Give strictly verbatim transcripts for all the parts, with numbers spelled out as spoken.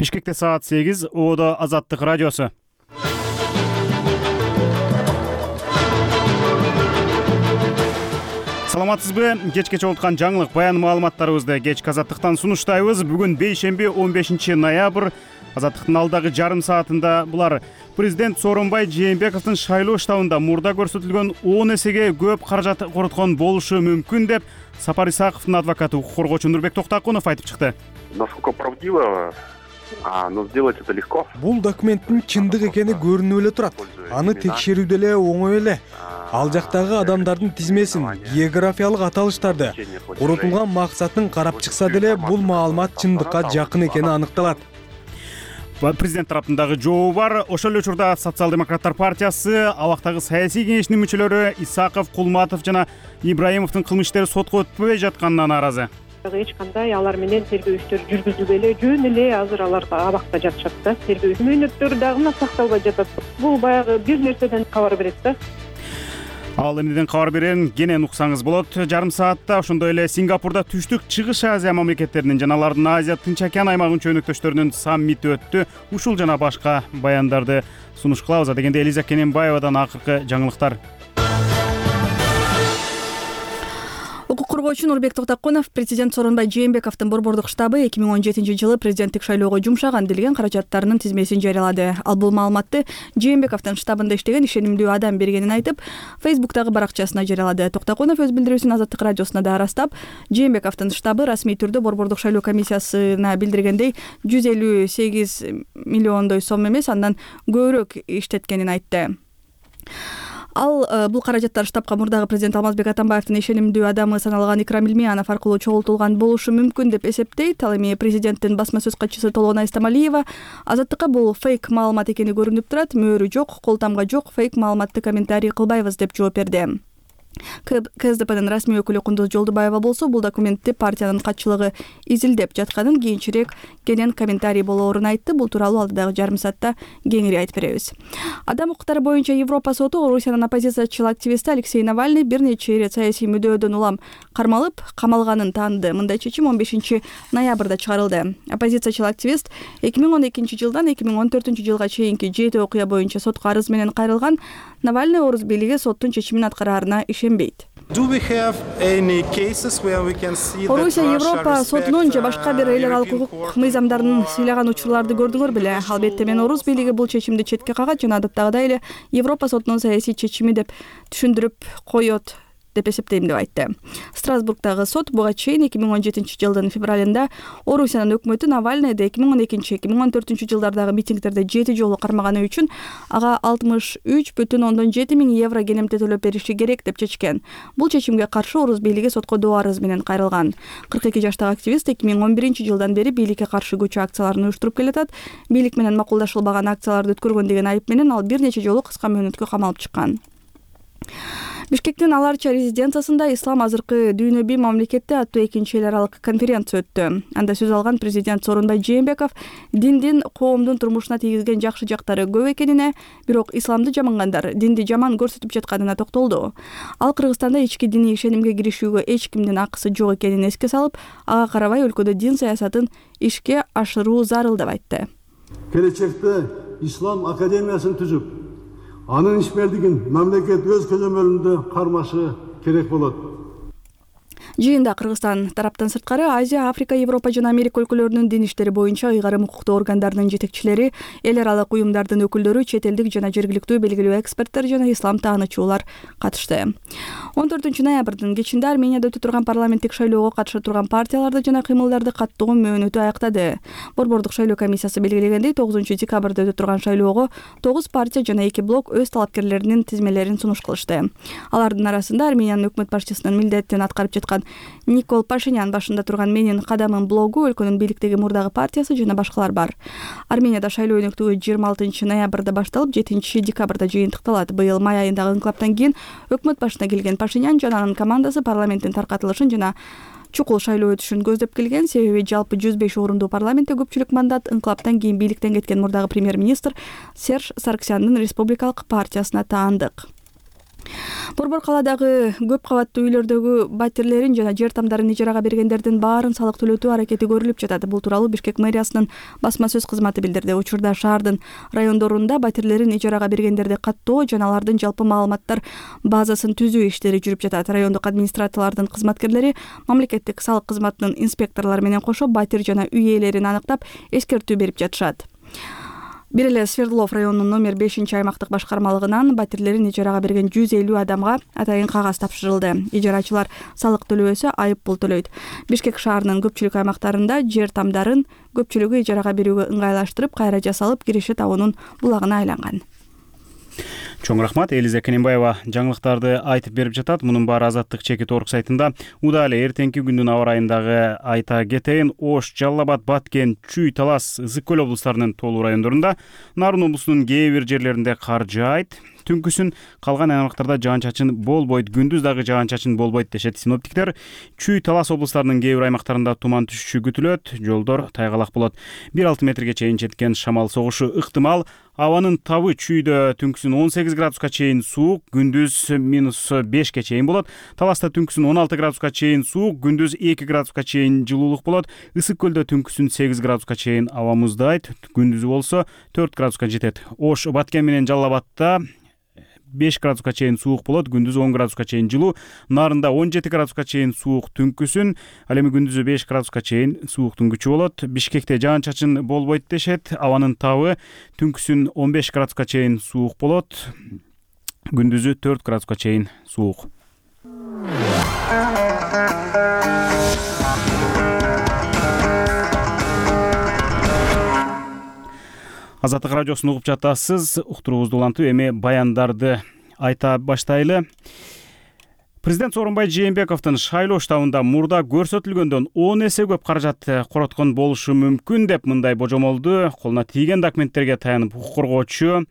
Бишкекте саат сегиз, Оодо Азаттык радиосу. Саламатсызбы? Кечке чогулткан жаңылык баян маалыматтарыбызды кечки Азаттыктан сунуштайбыз. Бүгүн бейшемби он бешинчи ноябрь. Азаттыктын алдагы жарым саатында булар президент Сооронбай Жээнбековдун шайлоо штабында мурда көрсөтүлгөн он эсеге көп каражат короткон болушу мүмкүн деп Сапар Исаковдун адвокаты, укук коргоочу Нурбек Токтакунов айтып чыкты. Насколько правдиво, но сделать это легко. Бул документтин чындык экени көрүнүп эле турат. Аны текшерүү деле оңой эле. Ал жактагы адамдардын тизмесин, географиялык аталыштарды, коротулган максатын карап чыкса деле бул маалымат чындыкка жакын экени аныкталат. Президент тараптагы жообу бар. Ошол эле учурда Социал-демократтар партиясы, абактагы саясий кеңештин мүчөлөрү Исаков, Кулматов жана Ибраимовдун кылмыш иштери сотко өтпөй жатканына нааразы. Эч кандай алар менен тергөө иштери жүргүзүлбөй эле, жөн эле азыр алар абакта жатышат да. Тергөө мөөнөттөрү дагы сакталбай жатат. Бул баягы бир нерседен кабар берет да. Ал эмнеден кабар берерин кенен уксаңыз болот. Жарым саатта ошондой эле Сингапурда түштүк чыгыш Азия мамлекеттеринин жана алардын Азия Тынч океан аймагынын чөнөктөштөрүнүн саммити өттү. Ушул жана башка баяндарды сунуш кылабыз. Дегенде Элиза Кененбаевадан акыркы жаңылыктар. Укук коргоочу Нурбек Токтакунов президент Сооронбай Жээнбековдун борбордук штабы эки миң он жетинчи жылы президенттик шайлоого жумшаган делген каражаттарынын тизмесин жарыялады. Ал бул маалыматты Жээнбековдун штабында иштеген ишенимдүү адам бергенин айтып, Фейсбуктагы баракчасына жарыялады. Токтакунов өз билдирүүсүн Азаттык радиосуна да ырастап, Жээнбековдун штабы расмий түрдө борбордук шайлоо комиссиясына билдиргендей жүз элүү сегиз миллиондой сом эмес, андан көбүрөөк иштеткенин айтты. Ал бул каражаттар штабка мурдагы президент Алмазбек Атамбаевдин ишенимдүү адамы саналган Икрам Илмиянов аркылуу чогултулган болушу мүмкүн деп эсептейт. Ал эми президенттин басма сөз катчысы Толгон Айстамалиева Азаттыкка бул фейк маалымат экени көрүнүп турат, мөөрү жок, колтамга жок, фейк маалыматты комментарий кылбайбыз деп жооп берди. КСДПнын расмий өкүлү Кундуз Жолдубаева болсо бул документти партиянын катчылыгы изилдеп жатканын, кийинчерээк кенен комментарий болоорун айтты. Бул тууралуу алдыдагы жарым саатта кеңири айтып беребиз. Адам укуктары боюнча Европа соту Орусиянын оппозициячыл активисти Алексей Навальный бир нече ирет саясий мүдөөдөн улам кармалып, камалганын тааныды. Мындай чечим он бешинчи ноябрда чыгарылды. Оппозициячыл активист эки миң он экинчи жылдан эки миң он төртүнчү жылга чейинки жети окуя боюнча сотко арыз менен кайрылган. Навальный Орус бийлиги соттун чечимин аткараарына ишенбейт. Орусия Европа сотунун же башка бир эл аралык укук мыйзамдарын сыйлаган учурларды көрдүңөр беле? Албетте мен Орус бийлиги бул чечимди четке кагат жана адаттагыдай эле Европа сотунун саясий чечими деп түшүндүрүп коет деп эсептейм деп айтты. Страсбургдагы сот буга чейин эки миң он жетинчи жылдын февралында Орусиянын өкмөтү Навальныйды эки миң он экинчи эки миң он төртүнчү жылдардагы митингдерде жети жолу кармаганы үчүн ага алтымыш үч бүтүн ондон жети миң евро кенемте төлөп бериши керек деп чечкен. Бул чечимге каршы Орус бийлиги сотко доо арыз менен кайрылган. кырк эки жаштагы активист эки миң он биринчи жылдан бери бийликке каршы көчү акцияларын уюштуруп келатат. Бийлик менен макулдашылбаган акцияларды өткөргөн деген айып менен ал бир нече жолу кыска мөөнөткө камалып чыккан. Бишкектин Аларча резиденциясында Ислам азыркы дүйнөбүй мамлекетте аттуу экинчи эл аралык конференция өттү. Анда сөз алган президент Сооронбай Жээнбеков диндин коомдун турмушуна тийгизген жакшы жактары көп экенине, бирок исламды жамангандар динди жаман көрсөтүп жатканына токтолду. Ал Кыргызстанда ички диний ишенимге киришүүгө эч кимдин акысы жок экенин эске салып, ага карабай өлкөдө дин саясатын ишке ашыруу зарыл деп айтты. Келечекте Ислам академиясын түзүп, анын ишмердигин мамлекет өз көзөмөлүндө кармашы керек болот. Жыйында Кыргызстан тараптан сырткары Азия, Африка, Европа жана Америка өлкөлөрүнүн дин иштери боюнча ыйгарым укуктуу органдарынын жетекчилери, эл аралык уюмдардын өкүлдөрү, чет элдик жана жергиликтүү белгилүү эксперттер жана ислам таанычуулар катышты. он төртүнчү ноябрдын кечинде Арменияда өтө турган парламенттик шайлоого катыша турган партияларды жана кыймылдарды каттоо мөөнөтү аяктады. Борбордук шайлоо комиссиясы белгилегендей, тогузунчу декабрда өтө турган шайлоого тогуз партия жана эки блок өз талапкерлеринин тизмелерин сунуш кылышты. Алардын арасында Армениянын өкмөт башчысынын милдетин аткарып жаткан Никол Пашинян башында турган Менин кадамын блогу, өлкөнүн бийликтеги мурдагы партиясы жана башкалар бар. Арменияда шайлоо өнөктүгү жыйырма алтынчы ноябрда башталып, жетинчи декабрда жыйынтыкталат. Быйыл май айындагы инкылаптан кийин өкмөт башына келген Пашинян жана анын командасы парламенттин таркатылышын жана чукул шайлоо өтүшүн көздөп келген. Себеби жалпы жүз беш орундуу парламентте көпчүлүк мандат инкылаптан кийин бийликтен кеткен мурдагы премьер-министр Серж Сарксяндын республикалык партиясына таандык. Борбор калаадагы көп кабаттуу үйлөрдөгү батирлерин жана жер тамдарын ижарага бергендердин баарын салык төлөтүү аракети көрүлүп жатат. Бул тууралуу Бишкек мэриясынын басма сөз кызматы билдирди. Учурда шаардын райондорунда батирлерин ижарага бергендерди каттоо жана алардын жалпы маалыматтар базасын түзүү иштери жүрүп жатат. Райондук администрациялардын кызматкерлери мамлекеттик салык кызматынын инспекторлору менен кошо батир жана үй ээлерин аныктап эскертүү берип жатышат. Бир эле Свердлов районунун номер бешинчи аймактык башкармалыгынан батирлерин ижарага берген жүз элүү адамга атайын кагаз тапшырылды. Ижарачылар салык төлөбөсө айып пул төлөйт. Бишкек шаарынын көпчүлүк аймактарында жер тамдарын көпчүлүгү ижарага берүүгө ыңгайлаштырып, кайра жасалып, киреше табуунун булагына айланган. Чоң рахмат. Элиза Кененбаева жаңылыктарды айтып берип жатат. Мунун баары Азаттык чекит орг сайтында. Удале эртеңки күндүн аба ырайындагы айта кетейин. Ош, Жалал Абад, Баткен, Чүй, Талас, Ысык көл облустарынын толуу райондорунда, Нарын облусунун кээ бир жерлеринде кар жаайт. Түнкүсүн калган аймактарда жаан-чачын болбойт, күндүз дагы жаан-чачын болбойт дешет синоптиктер. Чүй, Талас облустарынын кээ бир аймактарында туман түшүшү күтүлөт, жолдор тайгалак болот. бир алты метрге чейин жеткен шамал согушу ыктымал. Абанын табы Чүйдө түнкүсүн он сегиз градуска чейин суук, күндүз минус бешке чейин болот. Таласта түнкүсүн он алты градуска чейин суук, күндүз эки градуска чейин жылуулук болот. Ысык көлдө түнкүсүн сегиз градуска чейин аба муздайт, күндүзү болсо төрт градуска жетет. Ош, Баткен менен Жалал Абадта беш градуска чейин суук болот, күндүз он градуска чейин жылуу. Нарында он жети градуска чейин суук түнкүсүн, ал эми күндүзү беш градуска чейин сууктун күчү болот. Бишкекте жаан-чачын болбойт дешет. Абанын табы түнкүсүн он беш градуска чейин суук болот, күндүзү төрт градуска чейин суук. Азаттык радиосун угуп жатасыз. Уктуруубузду улантып, эми баяндарды айта баштайлы. Президент Сооронбай Жээнбековдун шайлоо штабында мурда көрсөтүлгөндөн он эсе көп каражат короткон болушу мүмкүн деп мындай божомолду колуна тийген документтерге таянып укук коргоочу,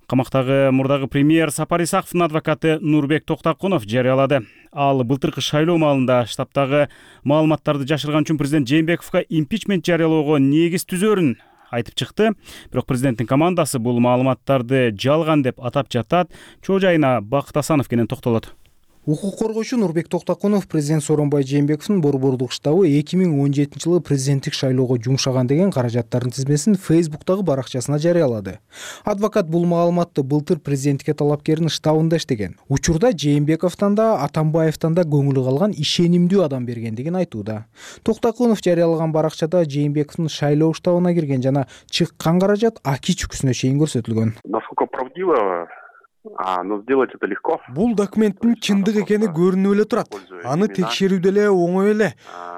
камактагы мурдагы премьер Сапар Исаковдун адвокаты Нурбек Токтокунов жарыялады. Ал былтыркы шайлоо маалында штабтагы маалыматтарды жашырган үчүн президент Жээнбековго импичмент жарыялоого негиз түзөрүн айтып чыкты. Бирок президенттин командасы бул маалыматтарды жалган деп атап жатат. Чоо жайына Бакыт Асанов кенен токтолот. Укук коргоочу Нурбек Токтокунов президент Сооронбай Жээнбековдун борбордук штабы эки миң он жетинчи жылы президенттик шайлоого жумшаган деген каражаттардын тизмесин Фейсбуктагы баракчасына жарыялады. Адвокат бул маалыматты былтыр президенттикке талапкердин штабында иштеген. Учурда Жээнбековдон да, Атамбаевдон да көңүлү калган ишенимдүү адам бергендигин айтууда. Токтокунов жарыялаган баракчада Жээнбековдун шайлоо штабына кирген жана чыккан каражат аки чүкүсүнө чейин көрсөтүлгөн. Насколько правдиво? А, но сделать это легко. Бул документтин чындык экени көрүнүп эле турат. Аны текшерүү деле оңой эле.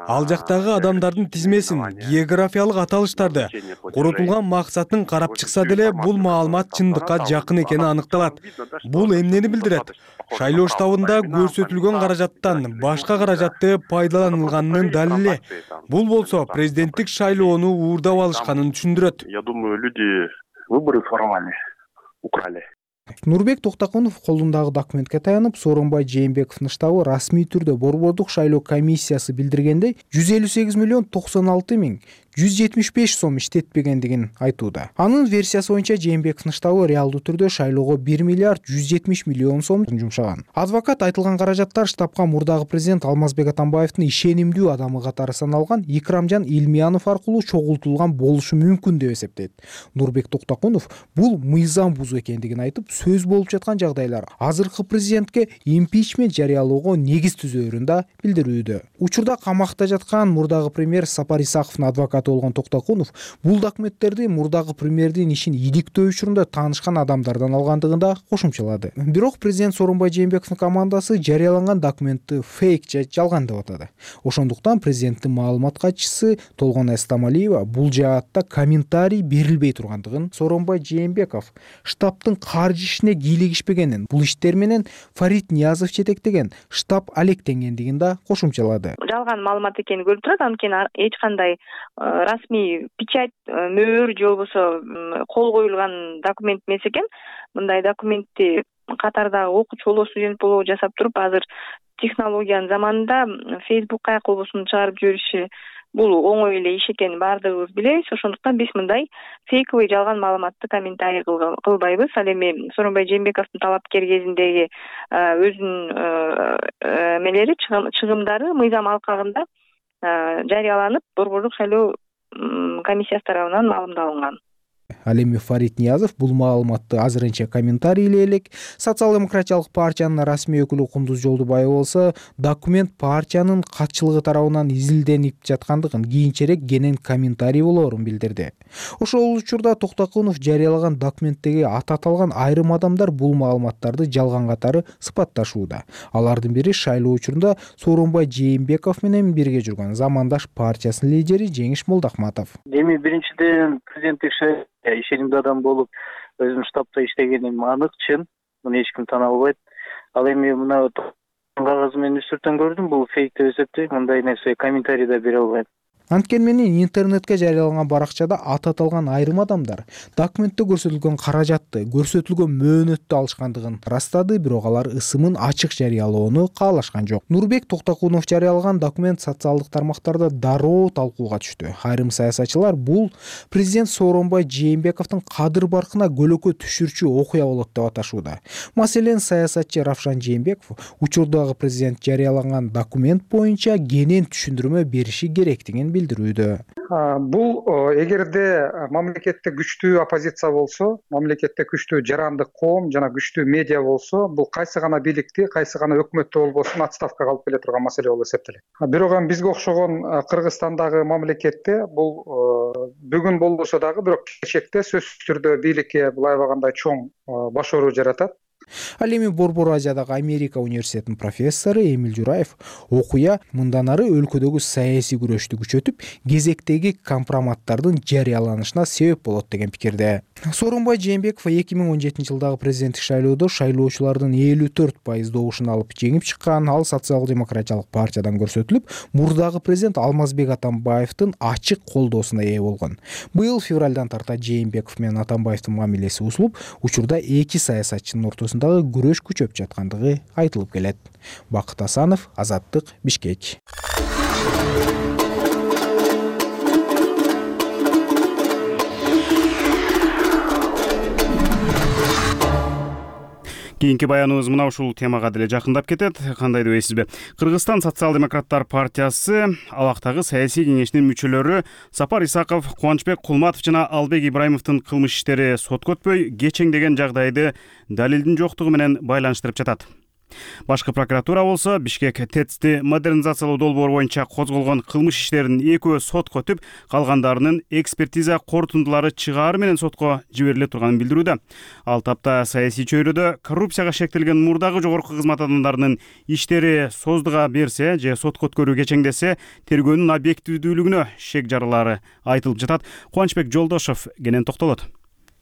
Ал жактагы адамдардын тизмесин, географиялык аталыштарды, коротулган максатын карап чыкса деле бул маалымат чындыкка жакын экени аныкталат. Бул эмнени билдирет? Шайлоо штабында көрсөтүлгөн каражаттан башка каражатты пайдаланылганынын далили. Бул болсо президенттик шайлоону уурдап алышканын түшүндүрөт. Я думаю, люди выборы своровали, украли. Нурбек Токтокунов колундагы документке таянып, Сооронбай Жээнбековдун штабы расмий түрдө борбордук шайлоо комиссиясы билдиргендей жүз элүү сегиз миллион токсон алты миң жүз жетимиш беш сом иштетпегендигин айтууда. Анын версиясы боюнча Жээнбековдун штабы реалдуу түрдө шайлоого бир миллиард жүз жетимиш миллион сом жумшаган. Адвокат айтылган каражаттар штабка мурдагы президент Алмазбек Атамбаевдин ишенимдүү адамы катары саналган Икрамжан Илмиянов аркылуу чогултулган болушу мүмкүн деп эсептейт. Нурбек Токтокунов бул мыйзам бузуу экендигин айтып, сөз болуп жаткан жагдайлар азыркы президентке импичмент жарыялоого негиз түзөөрүн да билдирүүдө. Учурда камакта жаткан мурдагы премьер Сапар Исаковдун адвокаты болгон Токтокунов бул документтерди мурдагы премьердин ишин иликтөө учурунда таанышкан адамдардан алгандыгын да кошумчалады. Бирок президент Сооронбай Жээнбековдун командасы жарыяланган документти фейк же жалган деп атады. Ошондуктан президенттин маалымат катчысы Толгон Эстамалиева бул жаатта комментарий берилбей тургандыгын, Сооронбай Жээнбеков штабтын каржы ишине кийлигишпегенин, бул иштер менен Фарид Ниязов жетектеген штаб алектенгендигин да кошумчалады. Жалган маалымат экени көрүнүп турат, анткени эч кандай расмий печать, мөөр же болбосо кол коюлган документ эмес экен. Мындай документти катардагы окуучу болобу, студент болобу жасап туруп, азыр технологиянын заманында Facebook каяк болбосун чыгарып жибериши бул оңой эле иш экенин баардыгыбыз билебиз. Ошондуктан биз мындай фейковый жалган маалыматты комментарий кылбайбыз. Ал эми Сооронбай Жээнбековдун талапкер кезиндеги өзүнүн эмелери чыгымдары мыйзам алкагында жарыяланып, Борбордук шайлоо комиссиясы тарабынан маалымдалынган. Ал эми Фарид Ниязов бул маалыматты азырынча комментарийлей элек. Социал-демократиялык партиянын расмий өкүлү Кундуз Жолдубаева болсо документ партиянын катчылыгы тарабынан изилденип жаткандыгын, кийинчерээк кенен комментарий болоорун билдирди. Ошол учурда Токтокунов жарыялаган документтеги аты аталган айрым адамдар бул маалыматтарды жалган катары сыпатташууда. Алардын бири шайлоо учурунда Сооронбай Жээнбеков менен бирге жүргөн Замандаш партиясынын лидери Жеңиш Молдохматов. Эми биринчиден президенттик шайлоо ишенимдүү адам болуп, өзүм штабта иштегеним анык, чын. Муну эч ким тана албайт. Ал эми мына кагазы менен үстүртөн көрдүм, бул фейк деп эсептейм. Мындай нерсе комментарий да бере албайм. Анткени менен интернетке жарыяланган баракчада аты аталган айрым адамдар документте көрсөтүлгөн каражатты, көрсөтүлгөн мөөнөттү алышкандыгын ырастады, бирок алар ысымын ачык жарыялоону каалашкан жок. Нурбек Токтокунов жарыялаган документ социалдык тармактарда дароо талкууга түштү. Айрым саясатчылар бул президент Сооронбай Жээнбековдун кадыр баркына көлөкө түшүрчү окуя болот деп аташууда. Маселен, саясатчы Равшан Жээнбеков учурдагы президент жарыялаган документ боюнча кенен түшүндүрмө бериши керектигин билдирүүдө. Бул эгерде мамлекетте күчтүү оппозиция болсо, мамлекетте күчтүү жарандык коом жана күчтүү медиа болсо, бул кайсы гана бийликти, кайсы гана өкмөттү болбосун отставкага алып келе турган маселе болуп эсептелет. Бирок эми бизге окшогон Кыргызстандагы мамлекетте бул бүгүн болбосо дагы бирок келечекте сөзсүз түрдө бийликке бул аябагандай чоң баш оору жаратат. Ал эми Борбор Азиядагы Америка университетинин профессору Эмил Жураев окуя мындан ары өлкөдөгү саясий күрөштү күчөтүп, кезектеги компроматтардын жарыяланышына себеп болот деген пикирде. Сооронбай Жээнбеков эки миң он жетинчи жылдагы президенттик шайлоодо шайлоочулардын элүү төрт пайыз добушун алып жеңип чыккан. Ал социал-демократиялык партиядан көрсөтүлүп, мурдагы президент Алмазбек Атамбаевдин ачык колдоосуна ээ болгон. Быйыл февралдан тарта Жээнбеков менен Атамбаевдин мамилеси бузулуп, учурда эки саясатчынын ортосундагы күрөш күчөп жаткандыгы айтылып келет. Бакыт Асанов, Азаттык, Бишкек. Кийинки баяныбыз мына ушул темага деле жакындап кетет. Кандай дебейсизби? Кыргызстан социал-демократтар партиясы абактагы саясий кеңешинин мүчөлөрү Сапар Исаков, Кубанычбек Кулматов жана Албек Ибраимовдун кылмыш иштери сотко өтпөй кечеңдеген жагдайды далилдин жоктугу менен байланыштырып жатат. Башкы прокуратура болсо Бишкек ТЭЦти модернизациялоо долбоору боюнча козголгон кылмыш иштеринин экөө сотко өтүп, калгандарынын экспертиза корутундулары чыгаар менен сотко жибериле турганын билдирүүдө. Ал тапта саясий чөйрөдө коррупцияга шектелген мурдагы жогорку кызмат адамдарынын иштери создуга берсе же сотко өткөрүү кечеңдесе, тергөөнүн объективдүүлүгүнө шек жарылары айтылып жатат. Кубанычбек Жолдошов кенен токтолот.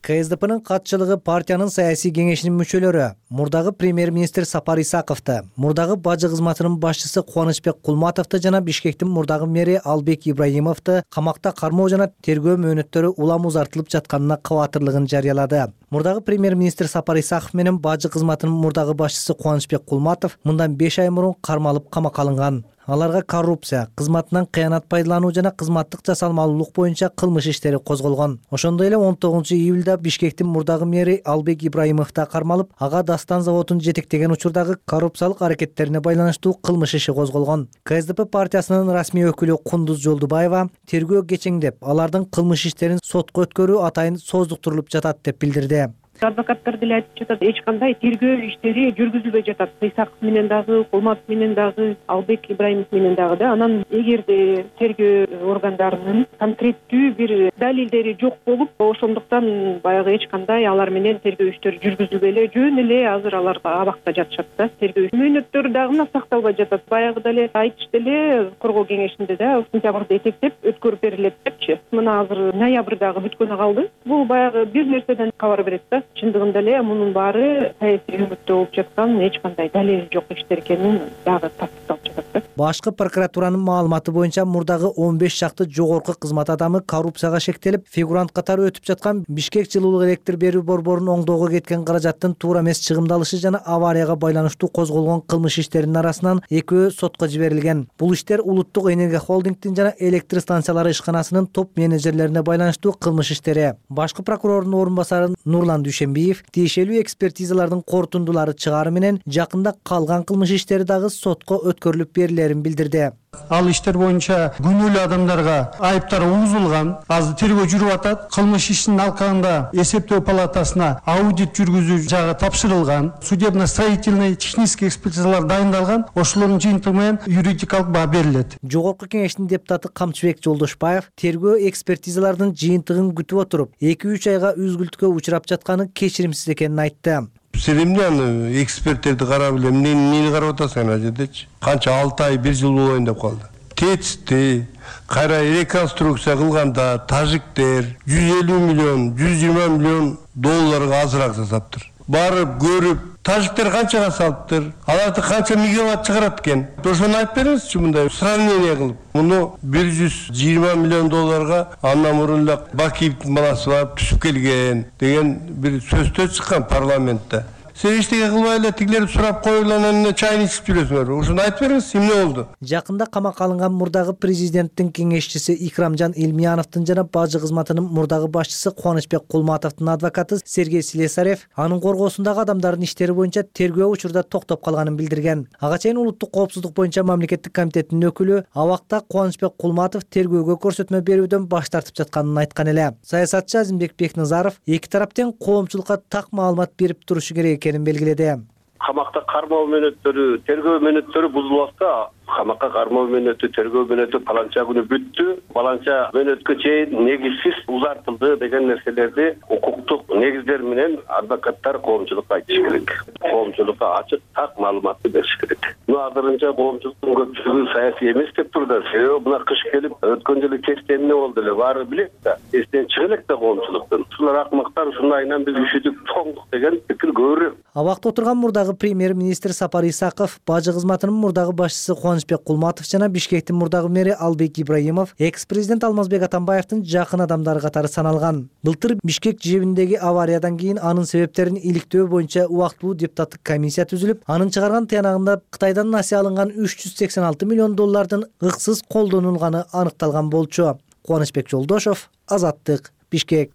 КСДПнын катчылыгы партиянын саясий кеңешинин мүчөлөрү мурдагы премьер-министр Сапар Исаковду, мурдагы бажы кызматынын башчысы Кубанычбек Кулматовду жана Бишкектин мурдагы мэри Албек Ибраимовду камакта кармоо жана тергөө мөөнөттөрү улам узартылып жатканына кабатырлыгын жарыялады. Мурдагы премьер-министр Сапар Исаков менен бажы кызматынын мурдагы башчысы Кубанычбек Кулматов мындан беш ай мурун кармалып камакка алынган. Аларга коррупция, кызматынан кыянат пайдалануу жана кызматтык жасалмалуулук боюнча кылмыш иштери козголгон. Ошондой эле он тогузунчу июлда Бишкектин мурдагы мэри Албек Ибраимов да кармалып, ага Дастан заводун жетектеген учурдагы коррупциялык аракеттерине байланыштуу кылмыш иши козголгон. КСДП партиясынын расмий өкүлү Кундуз Жолдубаева тергөө кечеңдеп, алардын кылмыш иштерин сотко өткөрүү атайын создуктурулуп жатат деп билдирди. Адвокаттар деле айтып жатат, эч кандай тергөө иштери жүргүзүлбөй жатат. Исаков менен дагы, Кулматов менен дагы, Албек Ибраимов менен дагы да. Анан эгерде тергөө органдарынын конкреттүү бир далилдери жок болуп, ошондуктан баягы эч кандай алар менен тергөө иштери жүргүзүлбөй эле, жөн эле азыр алар абакта жатышат да. Тергөө мөөнөттөрү дагы сакталбай жатат. Баягы деле айтышты эле коргоо кеңешинде да сентябрда этектеп өткөрүп берилет депчи. Мына азыр ноябрдагы бүткөнү калды. Бул баягы бир нерседен кабар берет да. Чындыгында эле мунун баары саясий өмүттө болуп жаткан эч кандай далили жок иштер экенин дагы тастыкталып жатат да. Башкы прокуратуранын маалыматы боюнча мурдагы он беш чакты жогорку кызмат адамы коррупцияга шектелип, фигурант катары өтүп жаткан Бишкек жылуулук электр берүү борборунун оңдоого кеткен каражаттын туура эмес чыгымдалышы жана аварияга байланыштуу козголгон кылмыш иштеринин арасынан экөө сотко жиберилген. Бул иштер Улуттук энергия холдингдин жана электр станциялары ишканасынын топ менеджерлерине байланыштуу кылмыш иштери. Башкы прокурордун орун басары Нурлан Дүйшенбиев тиешелүү экспертизалардын корутундулары чыгаары менен жакында калган кылмыш иштери дагы сотко өткөрүлүп берилерин билдирди. Ал иштер боюнча күнөөлүү адамдарга айыптар угузулган. Азыр тергөө жүрүп атат. Кылмыш ишин алкагында эсептөө палатасына аудит жүргүзүү жагы тапшырылган. Судебно-строительный технический экспертизалар дайындалган. Ошолордун жыйынтыгы менен юридикалык баа берилет. Жогорку кеңештин депутаты Камчыбек Жолдошбаев тергөө экспертизалардын жыйынтыгын күтүп отуруп, эки үч айга үзгүлтүккө учурап жатканы кечиримсиз экенин айтты. Сен эмне аны эксперттерди карап эле эмнени карап атасың ана жердечи? Канча алты ай, бир жыл болоюн деп калды. Тетисти кайра реконструкция кылганда тажиктер жүз элүү миллион, жүз жыйырма миллион долларга азыраак жасаптыр. Барып көрүп, тажиктер канчага салыптыр? Аларды канча мегаватт чыгарат экен? Ошону айтып бериңизчи мындай сравнение кылып. Муну бир жүз жыйырма миллион долларга андан мурун эле Бакиевдин баласы барып түшүп келген деген бир сөздөр чыккан парламентте. Сен эчтеке кылбай эле тигилерди сурап коюп эле анан эмне чайын ичип жүрөсүңөр? Ошону айтып бериңиз, эмне болду? Жакында камакка алынган мурдагы президенттин кеңешчиси Икрамжан Элмияновдун жана бажы кызматынын мурдагы башчысы Кубанычбек Кулматовдун адвокаты Сергей Слесарев анын коргоосундагы адамдардын иштери боюнча тергөө учурда токтоп калганын билдирген. Ага чейин улуттук коопсуздук боюнча мамлекеттик комитеттин өкүлү абакта Кубанычбек Кулматов тергөөгө көрсөтмө берүүдөн баш тартып жатканын айткан эле. Саясатчы Азимбек Бекназаров эки тараптын коомчулукка так маалымат берип турушу керек экенин белгиледи. Камакта кармоо мөөнөттөрү, тергөө мөөнөттөрү бузулуп атса, камакка кармоо мөөнөтү, тергөө мөөнөтү паланча күнү бүттү, паланча мөөнөткө чейин негизсиз узартылды деген нерселерди укуктук негиздер менен адвокаттар коомчулукка айтыш керек. Коомчулукка ачык, так маалыматты бериш керек. Мына азырынча коомчулуктун көпчүлүгү саясий эмес деп турду. Себеби мына кыш келип, өткөн жылы кечте эмне болду эле, баары билет да, эстен чыга элек да коомчулуктун. Ушулар акмактар, ушундайынан биз үшүдүк, тоңдук деген пикир көбүрөөк. Абакта отурган мурдагы премьер-министр Сапар Исаков, бажы кызматынын мурдагы башчысы Кубанычбек Кулматов жана Бишкектин мурдагы мэри Албек Ибраимов экс-президент Алмазбек Атамбаевдин жакын адамдары катары саналган. Былтыр Бишкек жебиндеги авариядан кийин анын себептерин иликтөө боюнча убактылуу депутаттык комиссия түзүлүп, анын чыгарган тыянагында Кытайдан насыя алынган үч жүз сексен алты миллион доллардын ыксыз колдонулганы аныкталган болчу. Кубанычбек Жолдошов, Азаттык, Бишкек.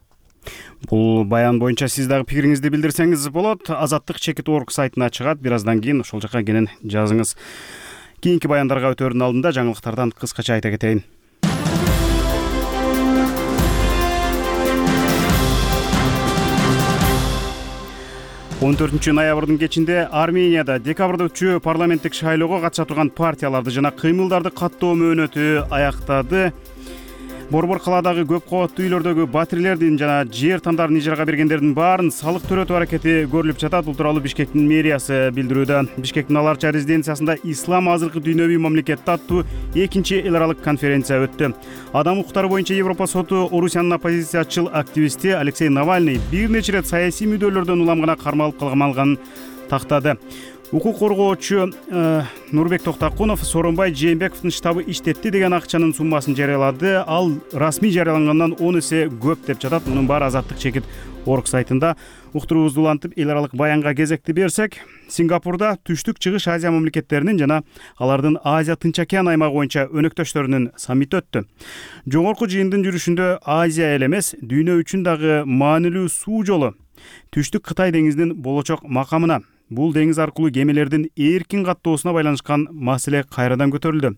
Бул баян боюнча сиз дагы пикириңизди билдирсеңиз болот. Азаттык чекит орг сайтына чыгат. Бир аздан кийин ошол жака кенен жазыңыз. Кийинки баяндарга өтөөрдүн алдында жаңылыктардан кыскача айта кетейин. он төртүнчү ноябрдын кечинде Арменияда декабрда өтчү парламенттик шайлоого катыша турган партияларды жана кыймылдарды каттоо мөөнөтү аяктады. Борбор калаадагы көп кабаттуу үйлөрдөгү батирелердин жана жер тандарын ижарага бергендердин баарын салык төрөтүү аракети көрүлүп жатат. Бул тууралуу Бишкектин мэриясы билдирүүдө. Бишкектин Аларча резиденциясында «Ислам азыркы дүйнөвүй мамлекет» аттуу экинчи эл аралык конференция өттү. Адам укуктары боюнча Европа соту Орусиянын оппозициячыл активисти Алексей Навальный бир нече ирет саясий мүдөлөрдөн улам гана кармалып калганын тактады. Укук коргоочу э, Нурбек Токтакунов Сооронбай Жээнбековдун штабы иштетти деген акчанын суммасын жарыялады. Ал расмий жарыялангандан он эсе көп деп жатат. Мунун баары Азаттык чекит орг сайтында. Уктуруубузду улантып, эл аралык баянга кезекти берсек, Сингапурда Түштүк Чыгыш Азия мамлекеттеринин жана алардын Азия Тынч океан аймагы боюнча өнөктөштөрүнүн саммити өттү. Жогорку жыйындын жүрүшүндө Азия эле эмес, дүйнө үчүн дагы маанилүү суу жолу Түштүк Кытай деңизинин болочок макамына, бул деңиз аркылуу кемелердин эркин каттоосуна байланышкан маселе кайрадан көтөрүлдү.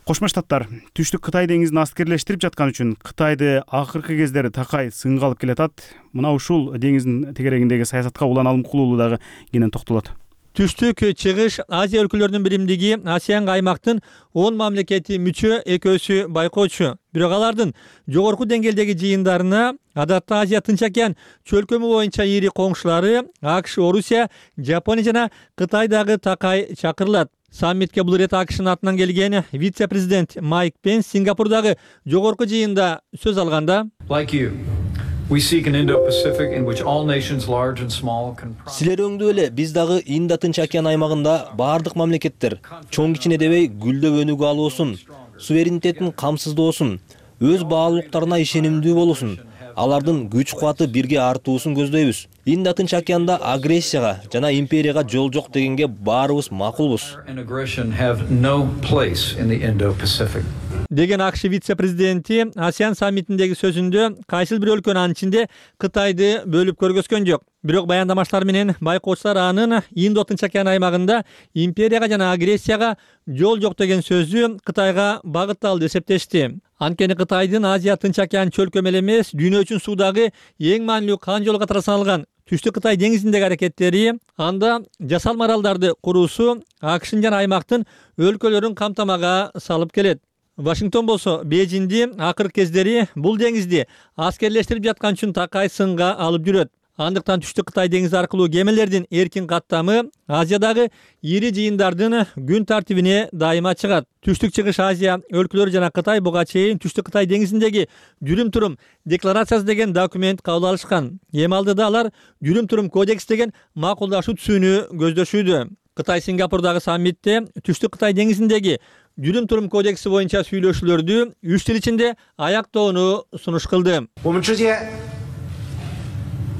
Кошмо Штаттар Түштүк Кытай деңизин аскерлештирип жаткан үчүн Кытайды акыркы кездери такай сынга алып келатат. Мына ушул деңиздин тегерегиндеги саясатка Улан Алымкулуулу дагы кенен токтолот. Түштүк Чыгыш Азия өлкөлөрүнүн биримдиги АСЕАН аймактын он мамлекети мүчө, экөөсү байкоочу. Бирок алардын жогорку деңгээлдеги жыйындарына адатта Азия Тынч океан чөлкөмү боюнча ири коңшулары АКШ, Орусия, Жапония жана Кытай дагы такай чакырылат. Саммитке бул ирет АКШнын атынан келген вице-президент Майк Пенс Сингапурдагы жогорку жыйында сөз алганда, Like you, Силер өңдүү эле биз дагы Инд Тынч океан аймагында баардык мамлекеттер чоң кичине дебей гүлдөп өнүгө алуусун, суверенитетин камсыздоосун, өз баалуулуктарына ишенимдүү болуусун, алардын күч кубаты бирге артуусун көздөйбүз. Инд Тынч океанда агрессияга жана империяга жол жок дегенге баарыбыз макулбуз. Деген АКШ вице-президенти ASEAN саммитиндеги сөзүндө кайсыл бир өлкөнүн анын ичинде Кытайды бөлүп көргөзгөн жок. Бирок баяндамаштар менен байкоочулар анын Инд Тынч океан аймагында империяга жана агрессияга жол жок деген сөзү Кытайга багытталды деп эсептешти. Анткени Кытайдын Азия Тынч океан чөлкөмө эле эмес, дүйнө үчүн суудагы эң маанилүү кан жолу катары саналган Түштүк Кытай деңизиндеги аракеттери, анда жасалма аралдарды куруусу АКШнын жана аймактын өлкөлөрүн камтамага салып келет. Вашингтон болсо Бейжиңди акыркы кездери бул деңизди аскерлештирип жаткан үчүн такай сынга алып жүрөт. Андыктан Түштүк Кытай деңизи аркылуу кемелердин эркин каттамы Азиядагы ири жыйындардын күн тартибине дайыма чыгат. Түштүк Чыгыш Азия өлкөлөрү жана Кытай буга чейин Түштүк Кытай деңизиндеги жүрүм-турум декларациясы деген документ кабыл алышкан. Эми алдыда алар жүрүм-турум кодекс деген макулдашуу түзүүнү көздөшүүдө. Кытай Сингапурдагы саммитте Түштүк Кытай деңизиндеги жүрүм-турум кодекси боюнча сүйлөшүүлөрдү үч жыл ичинде аяктоону сунуш кылды.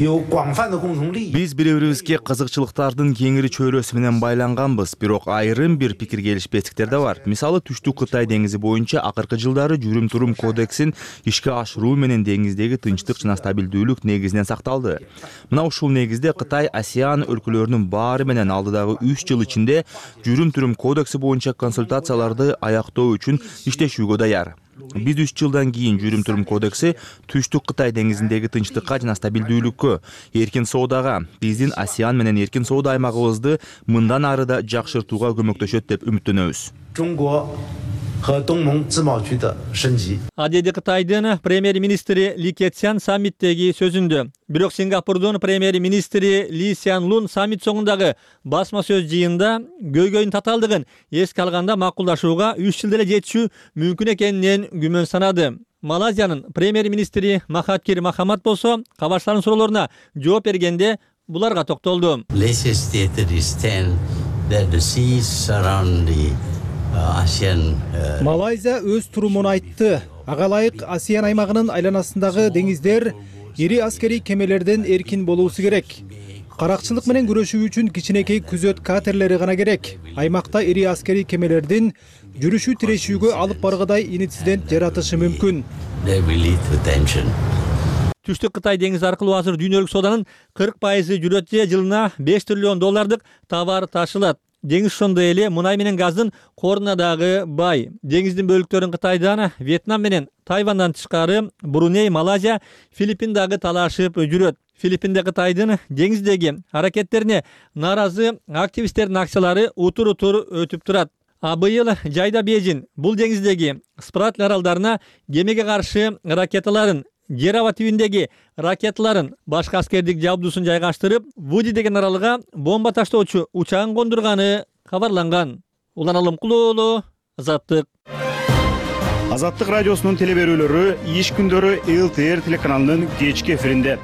Биз бири-бирибизге кызыкчылыктардын кеңири чөйрөсү менен байланганбыз, бирок айрым бир пикир келишпестиктер да бар. Мисалы, Түштүк Кытай деңизи боюнча акыркы жылдары жүрүм-турум кодексин ишке ашыруу менен деңиздеги тынчтык жана стабилдүүлүк негизинен сакталды. Мына ушул негизде Кытай ASEAN өлкөлөрүнүн баары менен алдыдагы үч жыл ичинде жүрүм-турум кодекси боюнча консультацияларды аяктоо үчүн иштешүүгө даяр. Биз үч жылдан кийин жүрүм-турум кодекси Түштүк Кытай деңизиндеги тынчтыкка жана стабилдүүлүккө, эркин соодага, биздин ASEAN менен эркин соода аймагыбызды мындан ары да жакшыртууга көмөктөшөт деп үмүттөнөбүз. Адеди Кытайдын премьер-министри Ли Кэцян саммиттеги сөзүндө. Бирок Сингапурдун премьер-министри Ли Сян Лун саммит соңундагы басма сөз жыйында көйгөйдүн татаалдыгын эске алганда макулдашууга үч жыл эле жетишүү мүмкүн экенинен күмөн санады. Малайзиянын премьер-министри Махатхир Мохамад болсо кабарчылардын суроолоруна жооп бергенде буларга токтолду. Малайзия өз турумун айтты. Ага ылайык ASEAN аймагынын айланасындагы деңиздер ири аскерий кемелерден эркин болуусу керек. Каракчылык менен күрөшүү үчүн кичинекей күзөт катерлери гана керек. Аймакта ири аскерий кемелердин жүрүшүү тирешүүгө алып баргыдай инцидент жаратышы мүмкүн. Түштүк Кытай деңизи аркылуу азыр дүйнөлүк сооданын кырк пайызы жүрөт же жылына беш триллион доллардык товар ташылат. Деңиз ошондой эле мунай менен газдын коруна дагы бай. Деңиздин бөлүктөрүн Кытайдан, Вьетнам менен Тайвандан тышкары Бруней, Малайзия, Филиппин дагы талашып жүрөт. Филиппинде Кытайдын деңиздеги аракеттерине нааразы активисттердин акциялары утур-утур өтүп турат. А быйыл жайда Бейжиң бул деңиздеги Спратл аралдарына кемеге каршы ракеталарын, жер аба түбүндөгү ракеталарын, башка аскердик жабдуусын жайгаштырып, Вуди деген аралга бомба таштоочу учагын кондурганы кабарланган. Уланалым Кулуулу, Азаттык. Азаттык радиосунун телеберүүлөрү иш күндөрү эл тэ эр телеканалынын кечки эфиринде.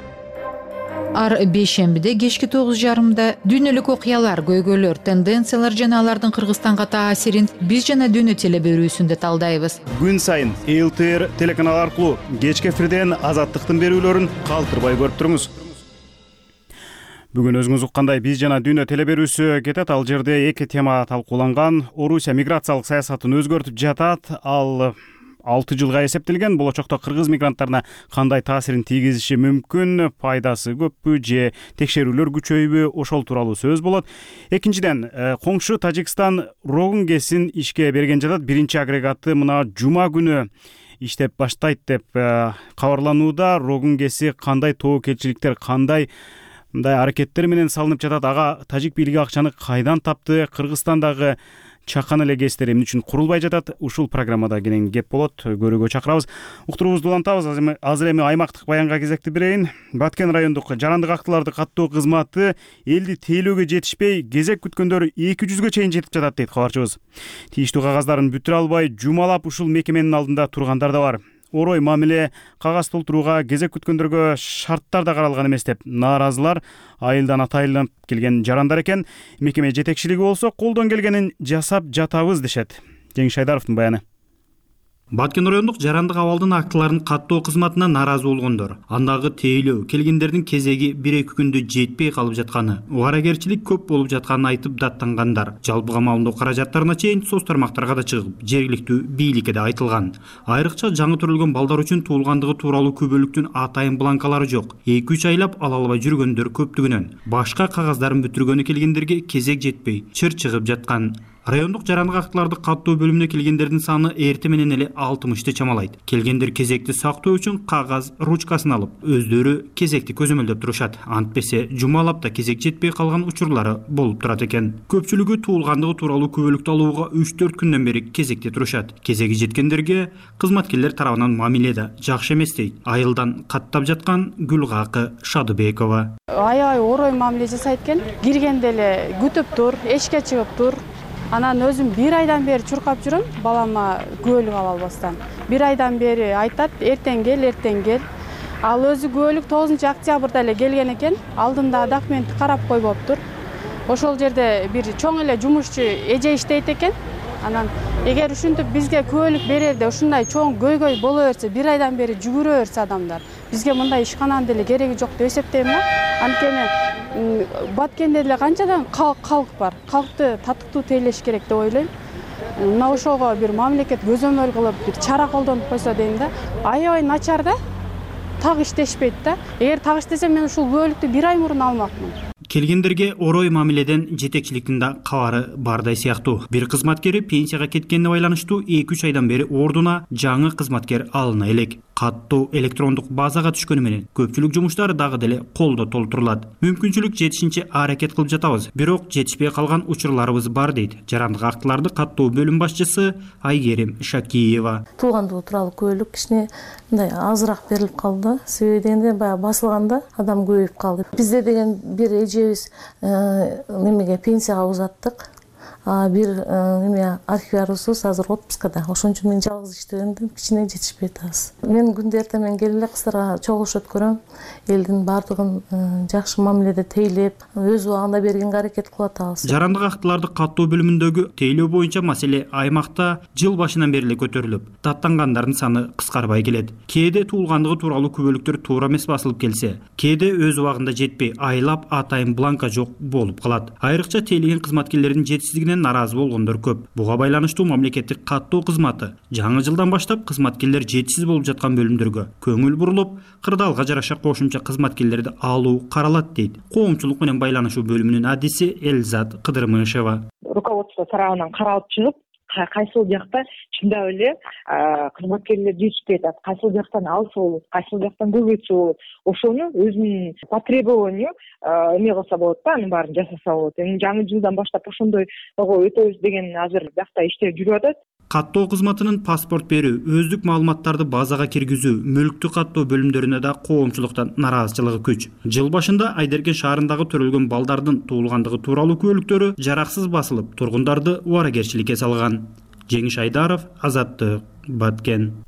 Ар бейшембиде кечки тогуз жарымда дүйнөлүк окуялар, көйгөйлөр, тенденциялар жана алардын Кыргызстанга таасирин биз жана дүйнө телеберүүсүндө талдайбыз. Күн сайын эл тэ эр телеканалы аркылуу кечки эфирден Азаттыктын берүүлөрүн калтырбай көрүп туруңуз. Бүгүн өзүңүз уккандай биз жана дүйнө телеберүүсү кетет. Ал жерде эки тема талкууланган. Орусия миграциялык саясатын өзгөртүп жатат. Ал алты жылга эсептелген. Болочокто кыргыз мигранттарына кандай таасирин тийгизиши мүмкүн, пайдасы көппү же текшерүүлөр күчөйбү, ошол тууралуу сөз болот. Экинчиден, коңшу Тажикстан Рогун гэсин ишке берген жатат. Биринчи агрегаты мына жума күнү иштеп баштайт деп кабарланууда. Рогун гэси кандай тобокелчиликтер, кандай мындай аракеттер менен салынып жатат, ага тажик бийлиги акчаны кайдан тапты, Кыргызстандагы чакан эле гэстер эмне үчүн курулбай жатат, ушул программада кенен кеп болот, көрүүгө чакырабыз. Уктуруубузду улантабыз. Азыр эми аймактык баянга кезекти берейин. Баткен райондук жарандык актыларды каттоо кызматы элди тейлөөгө жетишпей, кезек күткөндөр эки жүзгө чейин жетип жатат дейт кабарчыбыз. Тийиштүү кагаздарын бүтүрө албай, жумалап ушул мекеменин алдында тургандар да бар. орой мамиле кагаз толтурууга кезек күткөндөргө шарттар да каралган эмес деп нааразылар айылдан атайылып келген жарандар экен. Мекеме жетекчилиги болсо колдон келгенин жасап жатабыз дешет. Жеңиш Айдаровдун баяны. Баткен райондук жарандык абалдын актыларын каттоо кызматына нааразы болгондор, андагы тейлөө келгендердин кезеги бир-эки күндө жетпей калып жатканы, убарагерчилик көп болуп жатканын айтып даттангандар. Жалпы камалдоо каражаттарына чейин соц тармактарга да чыгып, жергиликтүү бийликке да айтылган. Айрыкча жаңы төрөлгөн балдар үчүн туулгандыгы тууралуу күбөлүктүн атайын бланкалары жок. эки үч айлап ала албай жүргөндөр көптүгүнөн, башка кагаздарын бүтүргөнү келгендерге кезек жетпей чыр чыгып жаткан. Райондук жарандык актыларды каттоо бөлүмүнө келгендердин саны эрте менен эле алтымышты чамалайт. Келгендер кезекти сактоо үчүн кагаз ручкасын алып, өздөрү кезекти көзөмөлдөп турушат. Антпесе жумалап да кезек жетпей калган учурлары болуп турат экен. Көпчүлүгү туулгандыгы тууралуу күбөлүктү алууга үч төрт күндөн бери кезекте турушат. Кезеги жеткендерге кызматкерлер тарабынан мамиле да жакшы эмес дейт. Айылдан каттап жаткан Гүлгакы Шадыбекова. Аябай орой мамиле жасайт экен. Киргенде эле күтүп тур, эшикке чыгып тур. Анан өзүм бир айдан бери чуркап жүрөм, балама күбөлүк ала албастан. Бир айдан бери айтат, эртең кел, эртең кел. Ал өзү күбөлүк тогузунчу октябрда эле келген экен, алдында документти карап койбоптур. Ошол жерде бир чоң эле жумушчу эже иштейт экен. Анан эгер ушинтип бизге күбөлүк берерде ушундай чоң көйгөй боло берсе, бир айдан бери жүгүрө берсе адамдар, бизге мындай ишкананын деле кереги жок деп эсептейм да. Анткени Баткенде деле канчадан калк бар. Калкты татыктуу тейлеш керек деп ойлойм. Мына ошого бир мамлекет көзөмөл кылып, бир чара колдонуп койсо дейм да. Аябай начар да. Так иштешпейт да. Эгер так иштесем, мен ушул күбөлүктү бир ай мурун алмакмын. Келгендерге орой мамиледен жетекчиликтин да кабары бардай сыяктуу. Бир кызматкери пенсияга кеткенине байланыштуу эки үч айдан бери ордуна жаңы кызматкер алына элек. Каттоо электрондук базага түшкөнү менен көпчүлүк жумуштар дагы деле колдо толтурулат. Мүмкүнчүлүк жетишинче аракет кылып жатабыз, бирок жетишпей калган учурларыбыз бар дейт жарандык актыларды каттоо бөлүм башчысы Айгерим Шакиева. Туулгандыгы тууралуу күбөлүк кичине мындай азыраак берилип калды. Себеби дегенде баягы басылганда адам көбөйүп калды. Бизде деген бир эжебиз немеге пенсияга узаттык. Бир неме архиварыбыз азыр отпускада. Ошон үчүн мен жалгыз иштегенден кичине жетишпей атабыз. Мен күндө эртең менен келип эле кыздарга чогулуш өткөрөм. Элдин баардыгын жакшы мамиледе тейлеп, өз убагында бергенге аракет кылып атабыз. Жарандык актыларды каттоо бөлүмүндөгү тейлөө боюнча маселе аймакта жыл башынан бери эле көтөрүлүп, даттангандардын саны кыскарбай келет. Кээде туулгандыгы тууралуу күбөлүктөр туура эмес басылып келсе, кээде өз убагында жетпей айлап атайын бланка жок болуп калат. Айрыкча тейлеген кызматкерлердин жетишсиздигинен наразы болгондор көп. Буга байланыштуу мамлекеттик каттоо кызматы жаңы жылдан баштап кызматкерлер жетишсиз болуп жаткан бөлүмдөргө көңүл бурулуп, кырдаалга жараша кошумча кызматкерлерди алуу каралат дейт коомчулук менен байланышуу бөлүмүнүн адиси Эльзат Кыдырмышева. Руководство тарабынан каралып чыгып, кайсыл жакта чындап эле кызматкерлер жетишпей атат, кайсыл жактан алса болот, кайсыл жактан көбөйтсө болот, ошону өзүнүн потребованию эме кылса болот да, анын баарын жасаса болот. Эми жаңы жылдан баштап ошондой өтөбүз деген азыр биякта иштер жүрүп атат. Каттоо кызматынын паспорт берүү, өздүк маалыматтарды базага киргизүү, мүлктү каттоо бөлүмдөрүнө да коомчулуктан нараазычылыгы күч. Жыл башында Айдеркен шаарындагы төрөлгөн балдардын туулгандыгы тууралуу күбөлүктөрү жараксыз басылып, тургундарды убарагерчиликке салган. Жеңиш Айдаров, Азаттык, Баткен.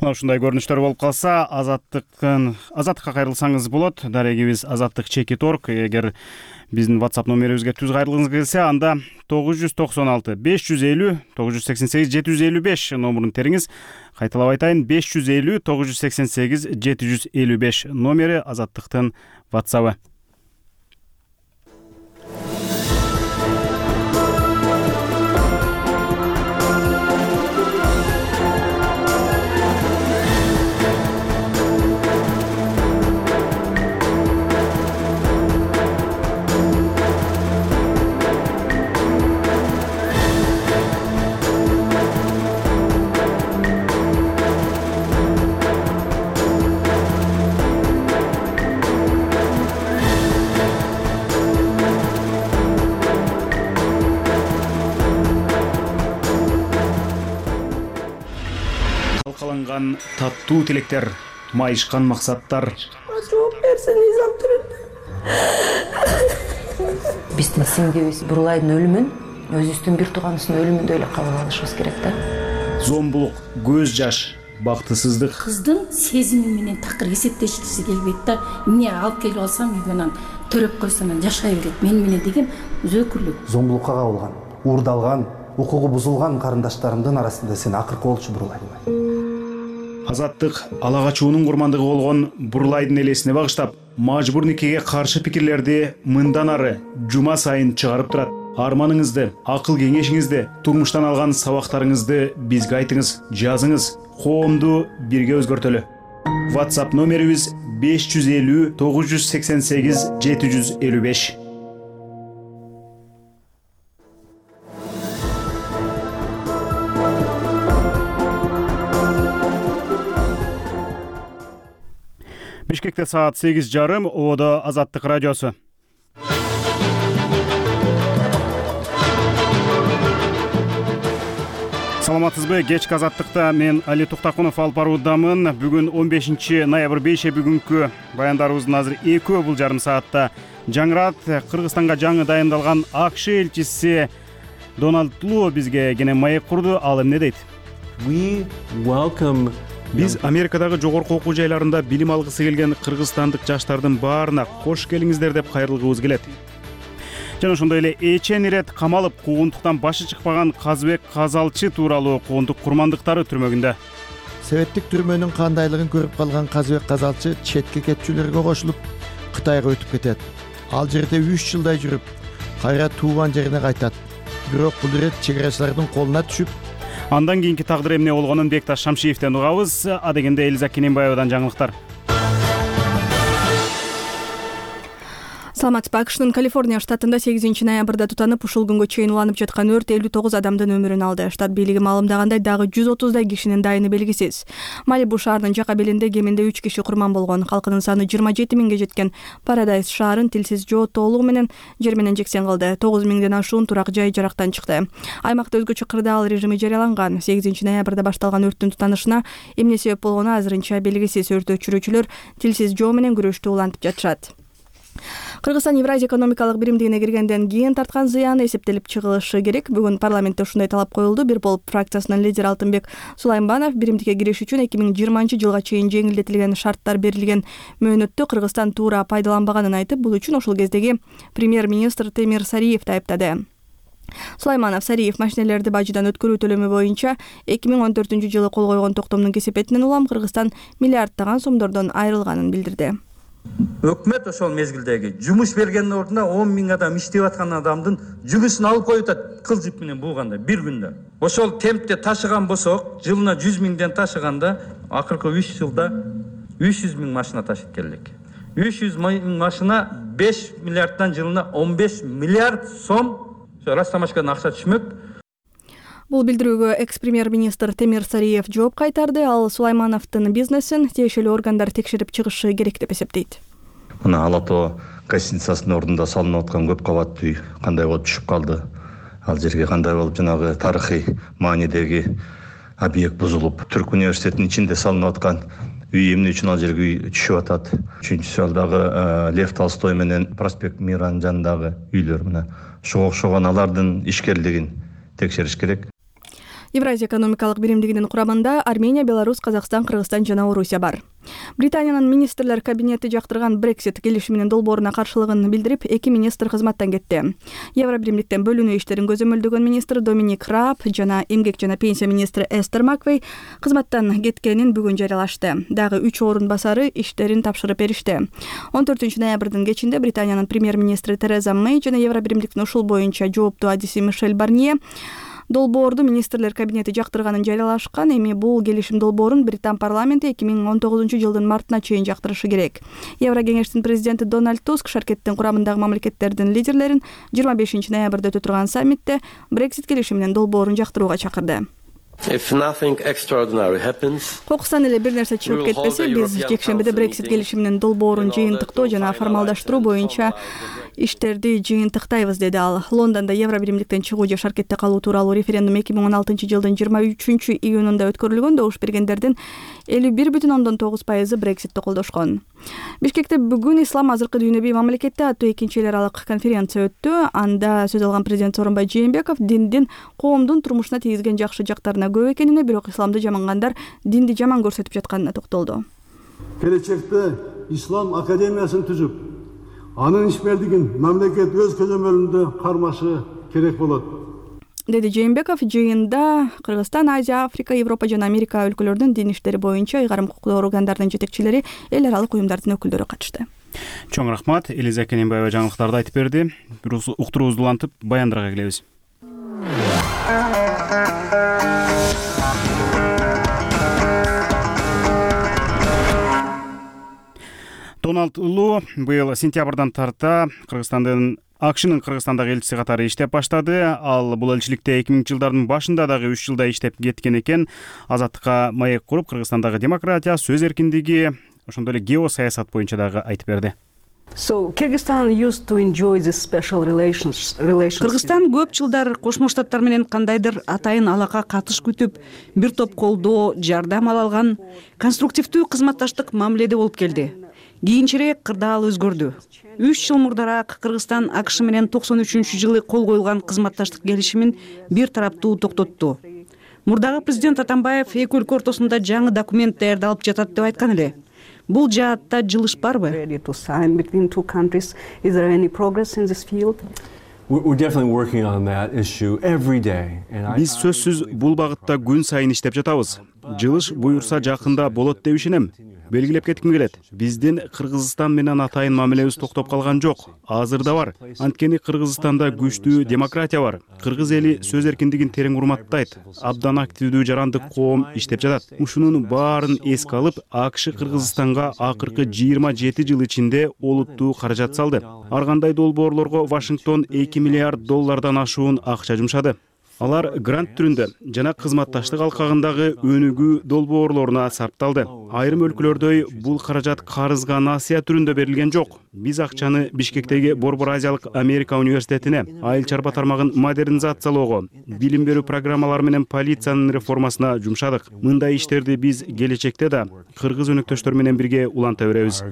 Мына ушундай көрүнүштөр болуп калса, Азаттыктын Азаттыкка кайрылсаңыз болот. Дарегибиз Азаттык чекит орг. Эгер биздин WhatsApp номерибизге түз кайрылгыңыз келсе, анда тогуз жүз токсон алты беш жүз элүү тогуз жүз сексен сегиз жети жүз элүү беш номерун териңиз. Кайталап айтайын, беш жүз элүү тогуз жүз сексен сегиз жети жүз элүү беш номери Азаттыктын WhatsApp-ы. Талкаланган таттуу тилектер, майышкан максаттар. Жооп берсе, Низам тирилди. Биздин сиңдибиз Бурлайдын өлүмүн өзүбүздүн бир тууганыбыздын өлүмүндөй эле кабыл алышыбыз керек да. Зомбулук, көз жаш, бактысыздык. Кыздын сезими менен такыр эсептешкиси келбейт да. Эмне алып келип алсам үйгө анан төрөп койсом анан жашай берет. Мен менен деген өзөкүрлүк. Зомбулукка кабылган, уурдалган, укугу бузулган карындаштарымдын арасында сен акыркы болчу Бурлай. Азаттык ала качуунун курмандыгы болгон Бурлайдын элесине багыштап, мажбур никеге каршы пикирлерди мындан ары жума сайын чыгарып турат. Арманыңызды, акыл кеңешиңизди, турмуштан алган сабактарыңызды бизге айтыңыз, жазыңыз, коомду бирге өзгөртөлү. WhatsApp номерибиз беш жүз элүү тогуз жүз сексен сегиз жети жүз элүү беш. Бишкекте саат сегиз жарым, Одо Азаттык радиосу. Саламатсызбы? Кечки Азаттыкта мен Али Туктакунов алып баруудамын. Бүгүн он бешинчи ноябрь бейше бүгүнкү баяндарыбыздын азыр экөө бул жарым саатта жаңырат. Кыргызстанга жаңы дайындалган АКШ элчиси Дональд Лу бизге кене маек курду. Ал эмне дейт? We welcome Биз Америкадагы жогорку окуу жайларында билим алгысы келген кыргызстандык жаштардын баарына кош келиңиздер деп кайрылгыбыз келет. Жана ошондой эле эчен ирет камалып куугунтуктан башы чыкпаган Казбек Казалчы тууралуу куугунтук курмандыктары түрмөгүндө. Советтик түрмөнүн кандайлыгын көрүп калган Казбек Казалчы четке кетчүлөргө кошулуп Кытайга өтүп кетет. Ал жерде үч жылдай жүрүп, кайра тууган жерине кайтат. Бирок бул ирет чек-арачылардын колуна түшүп, андан кийинки тагдыры эмне болгонун Бекташ Шамшиевден угабыз. Адегенде Элиза Кененбаевадан жаңылыктар. Саламатсызбы? АКШнын Калифорния штатында сегизинчи ноябрда тутанып, ушул күнгө чейин уланып жаткан өрт элүү тогуз адамдын өмүрүн алды. Штат бийлиги маалымдагандай, дагы жүз отуздай кишинин дайыны белгисиз. Малибу шаарынын жака белинде кеминде үч киши курман болгон. Калкынын саны жыйырма жети миңге жеткен Парадайз шаарын тилсиз жоо толугу менен жер менен жексен кылды. тогуз миңден ашуун турак жай жарактан чыкты. Аймакта өзгөчө кырдаал режими жарыяланган. сегизинчи ноябрда башталган өрттүн тутанышына эмне себеп болгону азырынча белгисиз. Өрт өчүрүүчүлөр тилсиз жоо менен күрөштү улантып жатышат. Кыргызстан Евразия экономикалык биримдигине киргенден кийин тарткан зыяны эсептелип чыгылышы керек. Бүгүн парламентте ушундай талап коюлду. Бир болуп фракциясынын лидери Алтынбек Сулаймбанов биримдикке кириш үчүн эки миң жыйырманчы жылга чейин жеңилдетилген шарттар берилген мөөнөттү Кыргызстан туура пайдаланбаганын айтып, бул үчүн ошол кездеги премьер-министр Темир Сариевди айыптады. Сулайманов Сариев машинелерди бажыдан өткөрүү төлөмү боюнча эки миң он төртүнчү жылы кол койгон токтомдун кесепетинен улам Кыргызстан миллиарддаган сомдордон айрылганын билдирди. Өкмөт ошол мезгилдеги жумуш бергендин ордуна он миң адам иштеп аткан адамдын жумушун алып коюп атат кыл жип менен бууганда бир күндө. Ошол темпте ташыган болсок, жылына жүз миңден ташыганда акыркы үч жылда үч жүз миң машина ташып келдик. үч жүз миң машина беш миллиарддан жылына он беш миллиард сом Растамашкадан акча түшмөк. Бул билдирүүгө экс-премьер-министр Темир Сариев жооп кайтарды. Ал Сулаймановдун бизнесин тиешелүү органдар текшерип чыгышы керек деп эсептейт. Мына Ала Тоо гостиницасынын ордунда салынып аткан көп кабаттуу үй кандай болуп түшүп калды? Ал жерге кандай болуп жанагы тарыхый маанидеги объект бузулуп, Түрк университетинин ичинде салынып аткан үй эмне үчүн ал жерге үй түшүп атат? Үчүнчүсү ал дагы Лев Толстой менен Проспект Миранын жанындагы үйлөр. Мына ошого окшогон алардын ишкерлигин текшериш керек. Евразия экономикалык биримдигинин курамында Армения, Беларусь, Казакстан, Кыргызстан жана Орусия бар. Британиянын министрлер кабинети жактырган Брексит келишиминин долбооруна каршылыгын билдирип, эки министр кызматтан кетти. Евро биримдиктен бөлүнүү иштерин көзөмөлдөгөн министр Доминик Раб жана эмгек жана пенсия министри Эстер Маквей кызматтан кеткенин бүгүн жарыялашты. Дагы үч орун басары иштерин тапшырып беришти. он төртүнчү ноябрдын кечинде Британиянын премьер-министри Тереза Мэй жана Евро биримдиктин ушул боюнча жооптуу адиси Мишель Барнье долбоорду министрлер кабинети жактырганын жарыялашкан. Эми бул келишим долбоорун Британ парламенти эки миң он тогузунчу жылдын мартына чейин жактырышы керек. Евро кеңештин президенти Дональд Туск шаркеттин курамындагы мамлекеттердин лидерлерин жыйырма бешинчи ноябрда өтө турган саммитте Брексит келишиминин долбоорун жактырууга чакырды. Кокустан эле бир нерсе чыгып кетпесе, биз жекшембиде Брексит келишиминин долбоорун жыйынтыктоо жана формалдаштыруу боюнча иштерди жыйынтыктайбыз, деди ал. Лондондо Евро биримдиктен чыгуу же шаркетте калуу тууралуу референдум эки миң он алтынчы жылдын жыйырма үчүнчү июнунда өткөрүлгөн. Добуш бергендердин элүү бир бүтүн ондон тогуз пайызы Брекситти колдошкон. Бишкекте бүгүн Ислам азыркы дүйнөбүй мамлекетте аттуу экинчи эл аралык конференция өттү. Анда сөз алган президент Сооронбай Жээнбеков диндин коомдун турмушуна тийгизген жакшы жактарына көп экенине, бирок исламды жамангандар динди жаман көрсөтүп жатканына токтолду. Келечекте Ислам академиясын түзүп, анын ишмердигин мамлекет өз көзөмөлүндө кармашы керек болот, деди Жээнбеков. Жыйында Кыргызстан, Азия, Африка, Европа жана Америка өлкөлөрүнүн дин иштери боюнча ыйгарым укуктуу органдардын жетекчилери, эл аралык уюмдардын өкүлдөрү катышты. Чоң рахмат. Элиза Кененбаева жаңылыктарды айтып берди. Бир уктуруубузду улантып, баяндарга келебиз. Дональд Лу быйыл сентябрдан тарта Кыргызстандын АКШнын Кыргызстандагы элчиси катары иштеп баштады. Ал бул элчиликте эки миңинчи жылдардын башында дагы үч жылда иштеп кеткен экен. Азаттыкка маек куруп, Кыргызстандагы демократия, сөз эркиндиги, ошондой эле геосаясат боюнча дагы айтып берди. Кыргызстан көп жылдар Кошмо Штаттар менен кандайдыр атайын алака катыш күтүп, бир топ колдоо, жардам ала алган конструктивдүү кызматташтык мамиледе болуп келди. Кийинчерээк кырдаал өзгөрдү. үч жыл мурдараак Кыргызстан АКШ менен токсон үчүнчү жылы кол коюлган кызматташтык келишимин бир тараптуу токтотту. Мурдагы президент Атамбаев эки өлкө ортосунда жаңы документ даярдалып жатат деп айткан эле. Бул жаатта жылыш барбы? Биз сөзсүз бул багытта күн сайын иштеп жатабыз. Жылыш буюрса жакында болот деп ишенем. Белгилеп кетким келет. Биздин Кыргызстан менен атайын мамилебиз токтоп калган жок. Азыр да бар. Анткени Кыргызстанда күчтүү демократия бар. Кыргыз эли сөз эркиндигин терең урматтайт. Абдан активдүү жарандык коом иштеп жатат. Ушунун баарын эске алып, АКШ Кыргызстанга акыркы жыйырма жети жыл ичинде олуттуу каражат салды. Ар кандай долбоорлорго Вашингтон эки миллиард доллардан ашуун акча жумшады. Алар грант түрүндө жана кызматташтык алкагындагы өнүгүү долбоорлоруна сарпталды. Айрым өлкөлөрдөй бул каражат карызга насыя түрүндө берилген жок. Биз акчаны Бишкектеги Борбор Азиялык Америка университетине, айыл чарба тармагын модернизациялоого, билим берүү программалары менен полициянын реформасына жумшадык. Мындай иштерди биз келечекте да кыргыз өнөктөштөр менен бирге уланта беребиз.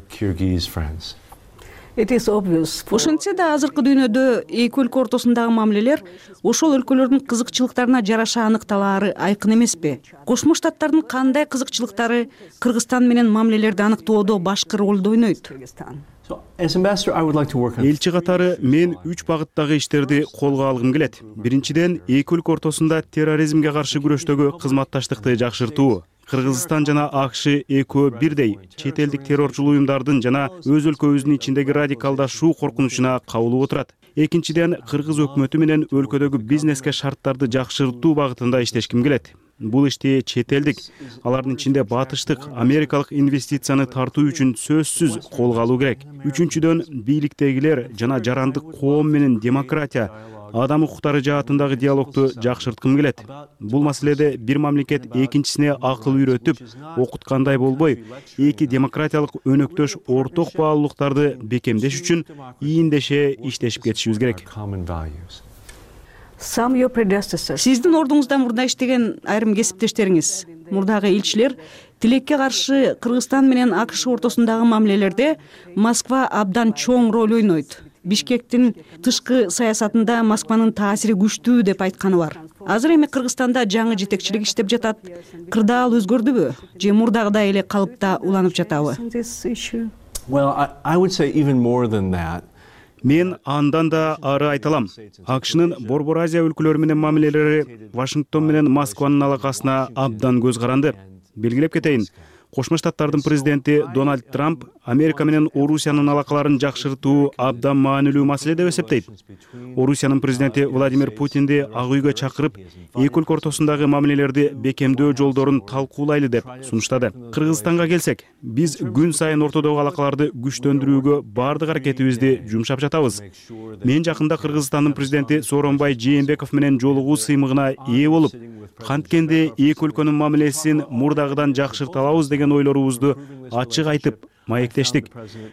Ошентсе да азыркы дүйнөдө эки өлкө ортосундагы мамилелер ошол өлкөлөрдүн кызыкчылыктарына жараша аныкталаары айкын эмеспи? Кошмо Штаттардын кандай кызыкчылыктары Кыргызстан менен мамилелерди аныктоодо башкы ролду ойнойт? Элчи катары мен үч багыттагы иштерди колго алгым келет. Биринчиден, эки өлкө ортосунда терроризмге каршы күрөштөгү кызматташтыкты жакшыртуу. Кыргызстан жана АКШ экөө бирдей чет элдик террорчул уюмдардын жана өз өлкөбүздүн ичиндеги радикалдашуу коркунучуна кабылып отурат. Экинчиден, кыргыз өкмөтү менен өлкөдөгү бизнеске шарттарды жакшыртуу багытында иштешким келет. Бул ишти чет элдик, алардын ичинде батыштык, америкалык инвестицияны тартуу үчүн сөзсүз колго алуу керек. Үчүнчүдөн, бийликтегилер жана жарандык коом менен демократия, адам укуктары жаатындагы диалогду жакшырткым келет. Бул маселеде бир мамлекет экинчисине акыл үйрөтүп, окуткандай болбой, эки демократиялык өнөктөш орток баалуулуктарды бекемдеш үчүн ийиндеше иштешип кетишибиз керек. Сиздин ордуңузда мурда иштеген айрым кесиптештериңиз, мурдагы элчилер тилекке каршы Кыргызстан менен АКШ ортосундагы мамилелерде Москва абдан чоң роль ойнойт. Бишкектин тышкы саясатында Москванын таасири күчтүү деп айтканы бар. Азыр эми Кыргызстанда жаңы жетекчилик иштеп жатат. Кырдаал өзгөрдүбү? Же мурдагыдай эле калыпта уланып жатабы? Мен андан да ары айта алам. АКШнын Борбор Азия өлкөлөрү менен мамилелери Вашингтон менен Москванын алакасына абдан көз каранды. Белгилеп кетейин. Кошмо Штаттардын президенти Дональд Трамп Америка менен Орусиянын алакаларын жакшыртуу абдан маанилүү маселе деп эсептейт. Орусиянын президенти Владимир Путинди Ак үйгө чакырып, эки өлкө ортосундагы мамилелерди бекемдөө жолдорун талкуулайлы деп сунуштады. Кыргызстанга келсек, биз күн сайын ортодогу алакаларды күчтөндүрүүгө бардык аракетибизди жумшап жатабыз. Мен жакында Кыргызстандын президенти Сооронбай Жээнбеков менен жолугуу сыймыгына ээ болуп, канткенде эки өлкөнүн мамилесин мурдагыдан жакшырта алабыз деген ойлорубузду ачык айтып маектештик.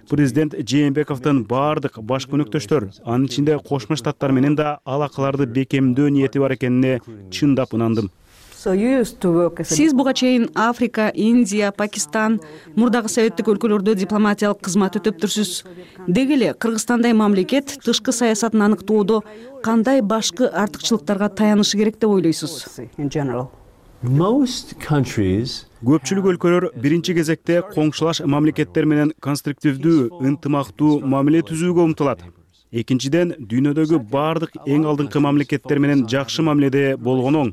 Президент Жээнбековдун бардык башкы өнөктөштөр, анын ичинде Кошмо Штаттар менен да алакаларды бекемдөө ниети бар экенине чындап ынандым. Сиз буга чейин Африка, Индия, Пакистан, мурдагы советтик өлкөлөрдө дипломатиялык кызмат өтөптүрсүз. Деги эле Кыргызстандай мамлекет тышкы саясатын аныктоодо кандай башкы артыкчылыктарга таянышы керек деп ойлойсуз? Көпчүлүк өлкөлөр биринчи кезекте коңшулаш мамлекеттер менен конструктивдүү, ынтымактуу мамиле түзүүгө умтулат. Экинчиден, дүйнөдөгү бардык эң алдыңкы мамлекеттер менен жакшы мамиледе болгон оң.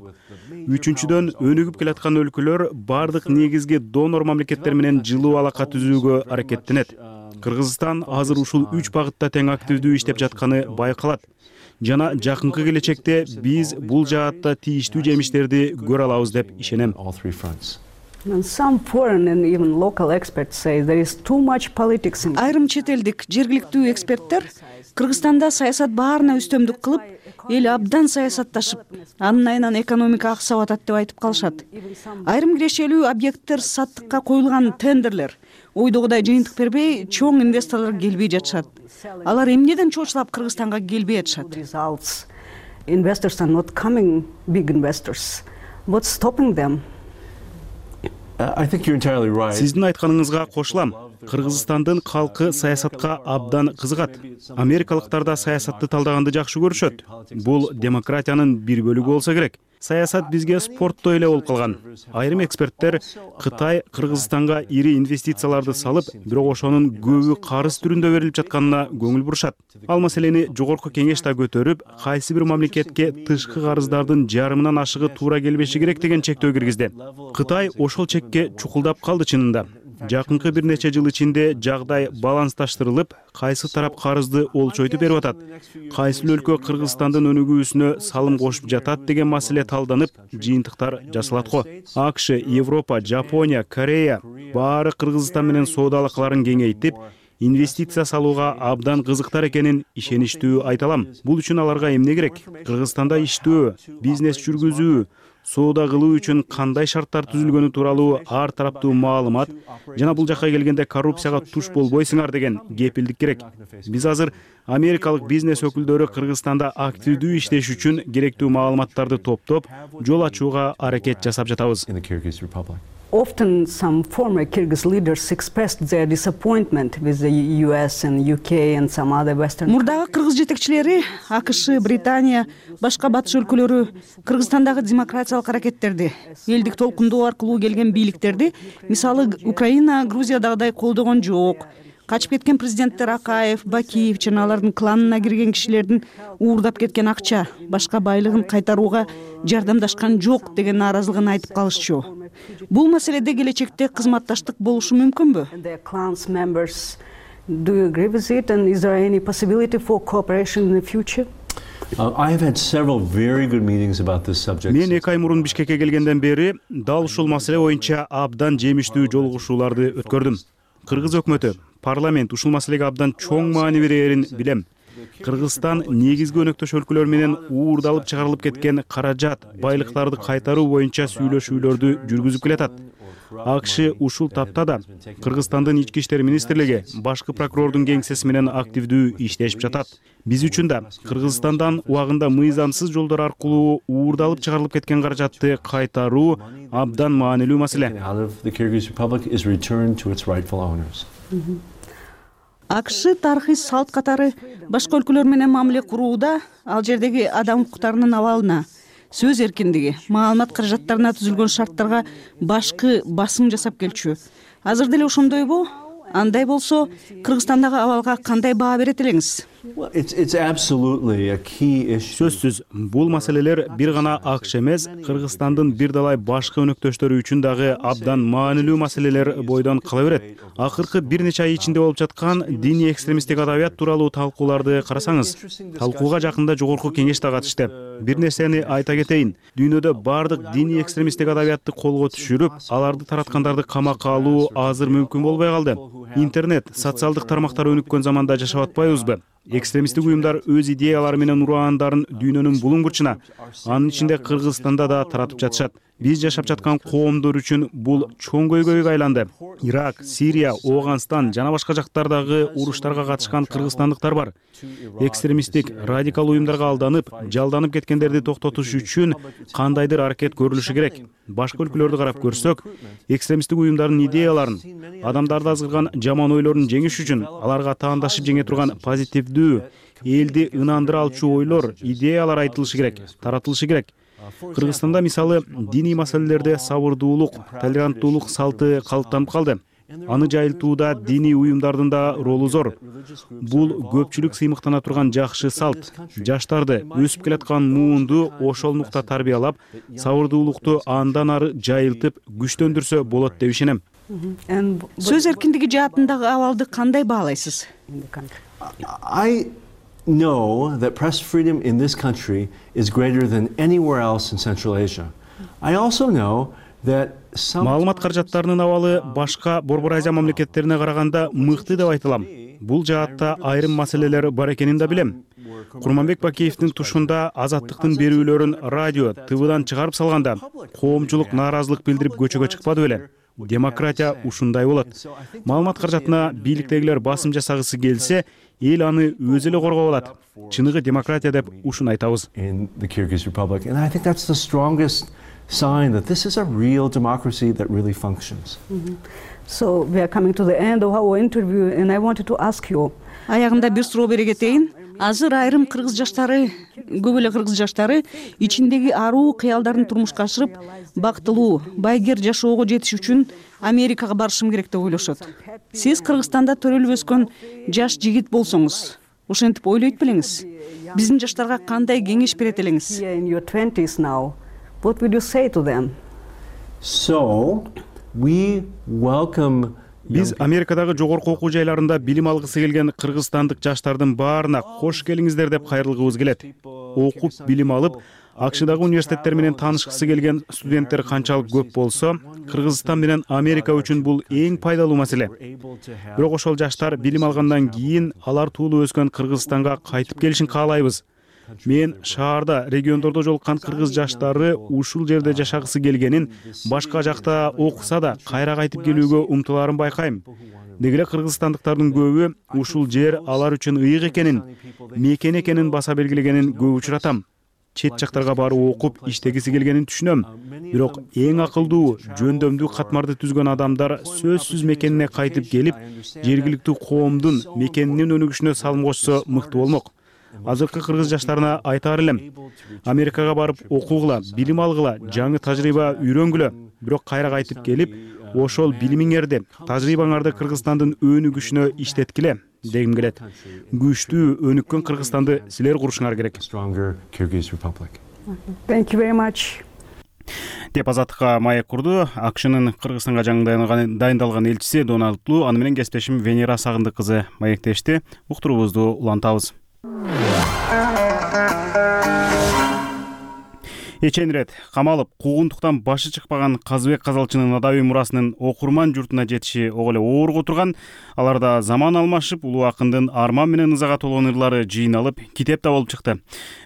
Үчүнчүдөн, өнүгүп келаткан өлкөлөр бардык негизги донор мамлекеттер менен жылуу алака түзүүгө аракеттенет. Кыргызстан азыр ушул үч багытта тең активдүү иштеп жатканы байкалат. Жана жакынкы келечекте биз бул жаатта тийиштүү жемиштерди көрө алабыз деп ишенем. Айрым чет элдик жергиликтүү эксперттер Кыргызстанда саясат баарына үстөмдүк кылып, эл абдан саясатташып, анын айынан экономика аксап атат деп айтып калышат. Айрым кирешелүү объекттер саттыкка коюлган тендерлер ойдогудай жыйынтык бербей, чоң инвесторлор келбей жатышат. Алар эмнеден чоочулап Кыргызстанга келбей атышат? Сиздин айтканыңызга кошулам. Кыргызстандын калкы саясатка абдан кызыгат. Америкалыктар да саясатты талдаганды жакшы көрүшөт. Бул демократиянын бир бөлүгү болсо керек. Саясат бизге спорттой эле болуп калган. Айрым эксперттер Кытай Кыргызстанга ири инвестицияларды салып, бирок ошонун көбү карыз түрүндө берилип жатканына көңүл бурушат. Ал маселени жогорку кеңеш да көтөрүп, кайсы бир мамлекетке тышкы карыздардын жарымынан ашыгы туура келбеши керек деген чектөө киргизди. Кытай ошол чекке чукулдап калды чынында. Жакынкы бир нече жыл ичинде жагдай балансташтырылып, кайсы тарап карызды олчойтуп берип атат, кайсы өлкө Кыргызстандын өнүгүүсүнө салым кошуп жатат деген маселе талданып, жыйынтыктар жасалат го. АКШ, Европа, Жапония, Корея баары Кыргызстан менен соода алакаларын кеңейтип, инвестиция салууга абдан кызыктар экенин ишеничтүү айта алам. Бул үчүн аларга эмне керек? Кыргызстанда иштөө, бизнес жүргүзүү, соода кылуу үчүн кандай шарттар түзүлгөнү тууралуу ар тараптуу маалымат жана бул жакка келгенде коррупцияга туш болбойсуңар деген кепилдик керек. Биз азыр америкалык бизнес өкүлдөрү Кыргызстанда активдүү иштеш үчүн керектүү маалыматтарды топтоп, жол ачууга аракет жасап жатабыз. Often some former Kyrgyz leaders expressed their disappointment with the U S and U K and some other Western. Мурдагы кыргыз жетекчилери АКШ, Британия, башка батыш өлкөлөрү Кыргызстандагы демократиялык аракеттерди, элдик толкундоо аркылуу келген бийликтерди, мисалы Украина, Грузиядагыдай колдогон жок. Качып кеткен президенттер Акаев, Бакиев жана алардын кланына кирген кишилердин уурдап кеткен акча, башка байлыгын кайтарууга жардамдашкан жок деген нааразылыгын айтып калышчу. Бул маселеде келечекте кызматташтык болушу мүмкүнбү? Do you agree with it, and is there any possibility for cooperation in the future? I have had several very good meetings about this subject. Мен эки ай мурун Бишкекке келгенден бери дал ушул маселе боюнча абдан жемиштүү жолугушууларды өткөрдүм. Кыргыз өкмөтү, парламент ушул маселеге абдан чоң маани берерин билем. Кыргызстан негизги өнөктөш өлкөлөр менен уурдалып чыгарылып кеткен каражат, байлыктарды кайтаруу боюнча сүйлөшүүлөрдү жүргүзүп келатат. АКШ ушул тапта да Кыргызстандын ички иштер министрлиги башкы прокурордун кеңсеси менен активдүү иштешип жатат. Биз үчүн да Кыргызстандан убагында мыйзамсыз жолдор аркылуу уурдалып чыгарылып кеткен каражатты кайтаруу абдан маанилүү маселе. АКШ тарыхый салт катары башка өлкөлөр менен мамиле курууда ал жердеги адам укуктарынын абалына, сөз эркиндиги, маалымат каражаттарына түзүлгөн шарттарга башкы басым жасап келчү. Азыр деле ошондойбу? Андай болсо, Кыргызстандагы абалга кандай баа берет элеңиз? Сөзсүз, бул маселелер бир гана АКШ эмес, Кыргызстандын бир далай башка өнөктөштөрү үчүн дагы абдан маанилүү маселелер бойдон кала берет. Акыркы бир нече ай ичинде болуп жаткан диний экстремисттик адабият тууралуу талкууларды карасаңыз, талкууга жакында жогорку кеңеш да катышты. Бир нерсени айта кетейин. Дүйнөдө бардык диний экстремисттик адабиятты колго түшүрүп, аларды тараткандарды камакка алуу азыр мүмкүн болбой калды. Интернет, социалдык тармактар өнүккөн заманда жашап атпайбызбы? экстремисттик уюмдар өз идеялары менен ураандарын дүйнөнүн булуң бурчуна, анын ичинде Кыргызстанда да таратып жатышат. Биз жашап жаткан коомдор үчүн бул чоң көйгөйгө айланды. Ирак, Сирия, Ооганстан жана башка жактардагы уруштарга катышкан кыргызстандыктар бар. Экстремисттик, радикал уюмдарга алданып, жалданып кеткендерди токтотуш үчүн кандайдыр аракет көрүлүшү керек. Башка өлкөлөрдү карап көрсөк, экстремисттик уюмдардын идеяларын, адамдарды азгырган жаман ойлорун жеңиш үчүн аларга таандашып жеңе турган позитивдүү, элди ынандыра алчу ойлор, идеялар айтылышы керек, таратылышы керек. Кыргызстанда мисалы диний маселелерде сабырдуулук, толеранттуулук салты калыптанып калды. Аны жайылтууда диний уюмдардын да ролу зор. Бул көпчүлүк сыймыктана турган жакшы салт. Жаштарды, өсүп келаткан муунду ошол нукта тарбиялап, сабырдуулукту андан ары жайылтып, күчтөндүрсө болот деп ишенем. Сөз эркиндиги жаатындагы абалды кандай баалайсыз? I know that press freedom in this country is greater than anywhere else in Central Asia. I also know that Маалымат каражаттарынын абалы башка Борбор Азия мамлекеттерине караганда мыкты деп айтылам. Бул жаатта айрым маселелер бар экенин да билем. Курманбек Бакеевдин тушунда азаттыктын берүүлөрүн радио, тэ вэдан чыгарып салганда коомчулук нааразылык билдирип көчөгө чыкпады беле? Демократия ушундай болот. Маалымат каражатына бийликтегилер басым жасагысы келсе, эл аны өзү эле коргоп алат. Чыныгы демократия деп ушуну айтабыз. In the Kyrgyz Republic, and I think that's the strongest sign that this is a real democracy that really functions. Mm-hmm. So we are coming to the end of our interview, and I wanted to ask you. Аягында бир суроо бере кетейин. Азыр айрым кыргыз жаштары, көп эле кыргыз жаштары ичиндеги аруу кыялдарын турмушка ашырып, бактылуу, байгер жашоого жетиш үчүн Америкага барышым керек деп ойлошот. Сиз Кыргызстанда төрөлүп өскөн жаш жигит болсоңуз, ошентип ойлойт белеңиз? Биздин жаштарга кандай кеңеш берет элеңиз? In your twenties now, what would you say to them? So we welcome. Биз Америкадагы жогорку окуу жайларында билим алгысы келген кыргызстандык жаштардын баарына кош келиңиздер деп кайрылгыбыз келет. Окуп, билим алып, АКШдагы университеттер менен таанышкысы келген студенттер канчалык көп болсо, Кыргызстан менен Америка үчүн бул эң пайдалуу маселе. Бирок ошол жаштар билим алгандан кийин алар туулуп өскөн Кыргызстанга кайтып келишин каалайбыз. Мен шаарда, региондордо жолуккан кыргыз жаштары ушул жерде жашагысы келгенин, башка жакта окуса да кайра кайтып келүүгө умтулаарын байкайм. Деги эле кыргызстандыктардын көбү ушул жер алар үчүн ыйык экенин, мекен экенин баса белгилегенин көп учуратам. Чет жактарга барып окуп, иштегиси келгенин түшүнөм. Бирок эң акылдуу, жөндөмдүү катмарды түзгөн адамдар сөзсүз мекенине кайтып келип, жергиликтүү коомдун мекенинин өнүгүшүнө салым кошсо мыкты болмок. Азыркы кыргыз жаштарына айтаар элем: Америкага барып окугула, билим алгыла, жаңы тажрыйба үйрөнгүлө, бирок кайра кайтып келип, ошол билимиңерди, тажрыйбаңарды Кыргызстандын өнүгүшүнө иштеткиле дегим келет. Күчтүү, өнүккөн Кыргызстанды силер курушуңар керек. Thank you very much. Деп азаттыкка маек курду АКШнын Кыргызстанга жаңы дайындалган элчиси Дональд Лу, аны менен кесиптешим Венера Сагындык кызы маектешти. Уктуруубузду улантабыз. Эченирет камалып, куугунтуктан башы чыкпаган Казыбек Казалчынын адабий мурасынын окурман журтуна жетиши ого эле оорго турган. Аларда заман алмашып, улуу акындын арман менен ызага толгон ырлары жыйналып, китеп да болуп чыкты.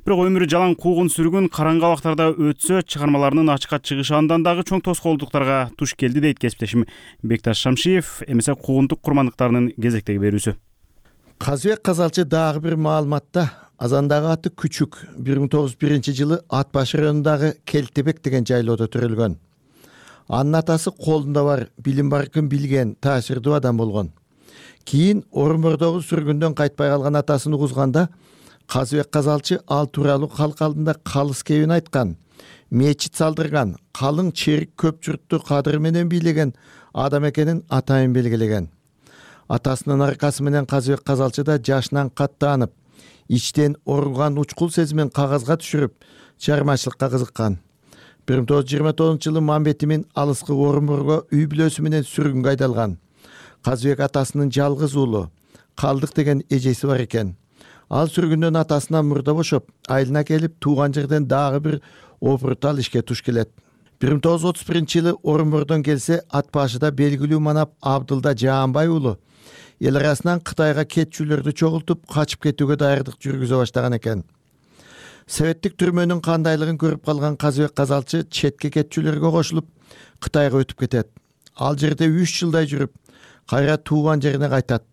Бирок өмүрү жалаң куугун сүргүн караңгы абактарда өтсө, чыгармаларынын ачыкка чыгышы андан дагы чоң тоскоолдуктарга туш келди дейт кесиптешим Бекташ Шамшиев, эмесе куугунтук курмандыктарынын кезектеги берүүсү. Казыбек Казалчы дагы бир маалыматта Азандагы аты Күчүк бир миң тогуз жүз биринчи жылы Ат баш районундагы Келтебек деген жайлоодо төрөлгөн. Анын атасы колунда бар, билим баркын билген, таасирдүү адам болгон. Кийин Орунбордогу сүргүндөн кайтпай калган атасын угузганда Казыбек Казалчы ал тууралуу калк алдында калыс кебин айткан, мечит салдырган, калың черик көп журтту кадыры менен бийлеген адам экенин атайын белгилеген. Атасынын аркасы менен Казыбек Казалчы да жашынан каттанып, ичтен оруган учкул сезимин кагазга түшүрүп, чыгармачылыкка кызыккан. бир миң тогуз жүз жыйырма тогузунчу жылы Мамбетимин алыскы Орунборго үй бүлөсү менен сүргүнгө айдалган. Казыбек атасынын жалгыз уулу, Калдык деген эжеси бар экен. Ал сүргүндөн атасынан мурда бошоп, айылына келип, тууган жерден дагы бир опурутал ишке туш келет. бир миң тогуз жүз отуз биринчи жылы Орунбордон келсе, ат башыда белгилүү манап Абдылда Жаанбай уулу эл арасынан Кытайга кетчүлөрдү чогултуп качып кетүүгө даярдык жүргүзө баштаган экен. Советтик түрмөнүн кандайлыгын көрүп калган Казыбек Казалчы четке кетчүлөргө кошулуп Кытайга өтүп кетет. Ал жерде үч жылдай жүрүп, кайра тууган жерине кайтат.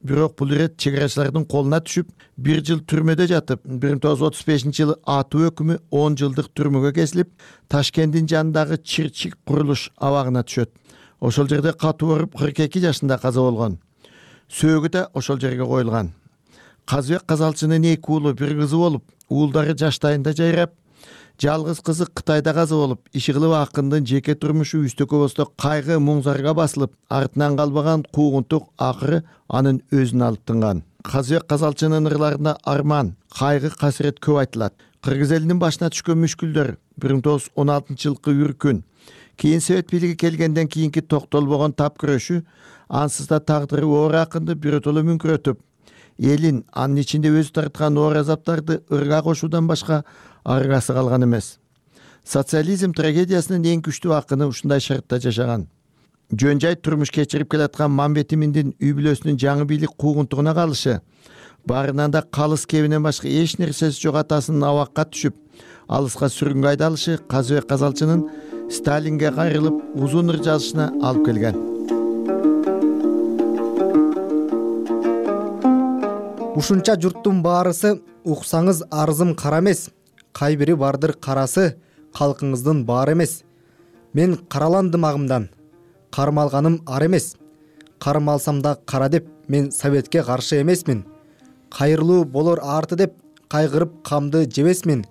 Бирок бул ирет чегарачылардын колуна түшүп, бир жыл түрмөдө жатып, бир миң тогуз жүз отуз бешинчи жылы атуу өкүмү он жылдык түрмөгө кесилип, Ташкенттин жанындагы Чирчик курулуш абагына түшөт. Ошол жерде катуу ооруп кырк эки жашында каза болгон. Сөөгү да ошол жерге коюлган. Казыбек Казалчынын эки уулу, бир кызы болуп, уулдары жаштайында жайрап, жалгыз кызы Кытайда каза болуп, Ишигилов акындын жеке турмушу үстөккө босто кайгы муңзарга басылып, артынан калбаган куугунтук акыры анын өзүн алып тынган. Казыбек Казалчынын ырларында арман, кайгы, касирет көп айтылат. Кыргыз элинин башына түшкөн мүшкүлдөр, бир миң тогуз жүз он алтынчы жылкы үркүн, кийин Совет бийлиги келгенден кийинки токтолбогон тап күрөшү, ансыз да тагдыры оор акынды биротоло мүңкүрөтүп, элин, анын ичинде өзү тарткан оор азаптарды ырга кошуудан башка аргасы калган эмес. Социализм трагедиясынын эң күчтүү акыны ушундай шартта жашаган. Жөн жай турмуш кечирип келаткан Мамбет Иминдин үй бүлөсүнүн жаңы бийлик куугунтугуна калышы, баарынан да калыс кебинен башка эч нерсеси жок атасынын абакка түшүп, алыска сүргүнгө айдалышы Казыбек Казалчынын Сталинге кайрылып узун ыр жазышына алып келген. Ушунча журттун баарысы уксаңыз арызым кара эмес, кайбири бардыр карасы калкыңыздын баары эмес. Мен караландым агымдан, кармалганым ар эмес. Кармалсам да кара деп мен Советке каршы эмесмин. Кайрылуу болор арты деп кайгырып камды жебесмин.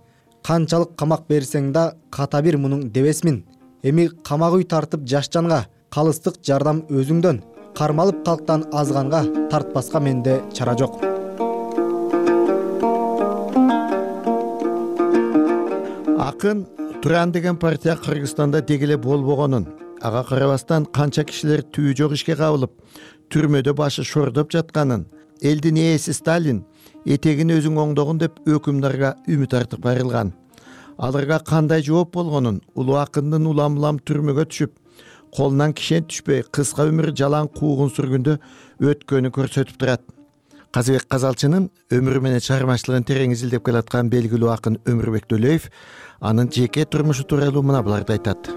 Канчалык камак берсең да ката бир мунуң дебесмин. Эми камак үй тартып жаш жанга, калыстык жардам өзүңдөн. Кармалып калктан азганга тартпаска менде чара жок. Акын Туран деген партия Кыргызстанда дегеле болбогонун, ага карабастан канча кишилер түбү жок ишке кабылып, түрмөдө башы шордоп жатканын, элдин ээси Сталин этегин өзүң оңдогун деп өкүмдарга үмүт артып айрылган. Аларга кандай жооп болгонун, улуу акындын улам-улам түрмөгө түшүп, колунан кишен түшпөй кыска өмүр жалаң куугун сүргүндө өткөнү көрсөтүп турат. Казыбек Казалчынын өмүрү менен чыгармачылыгын терең изилдеп келаткан белгилүү акын Өмүрбек Төлөев анын жеке турмушу тууралуу мына буларды айтат.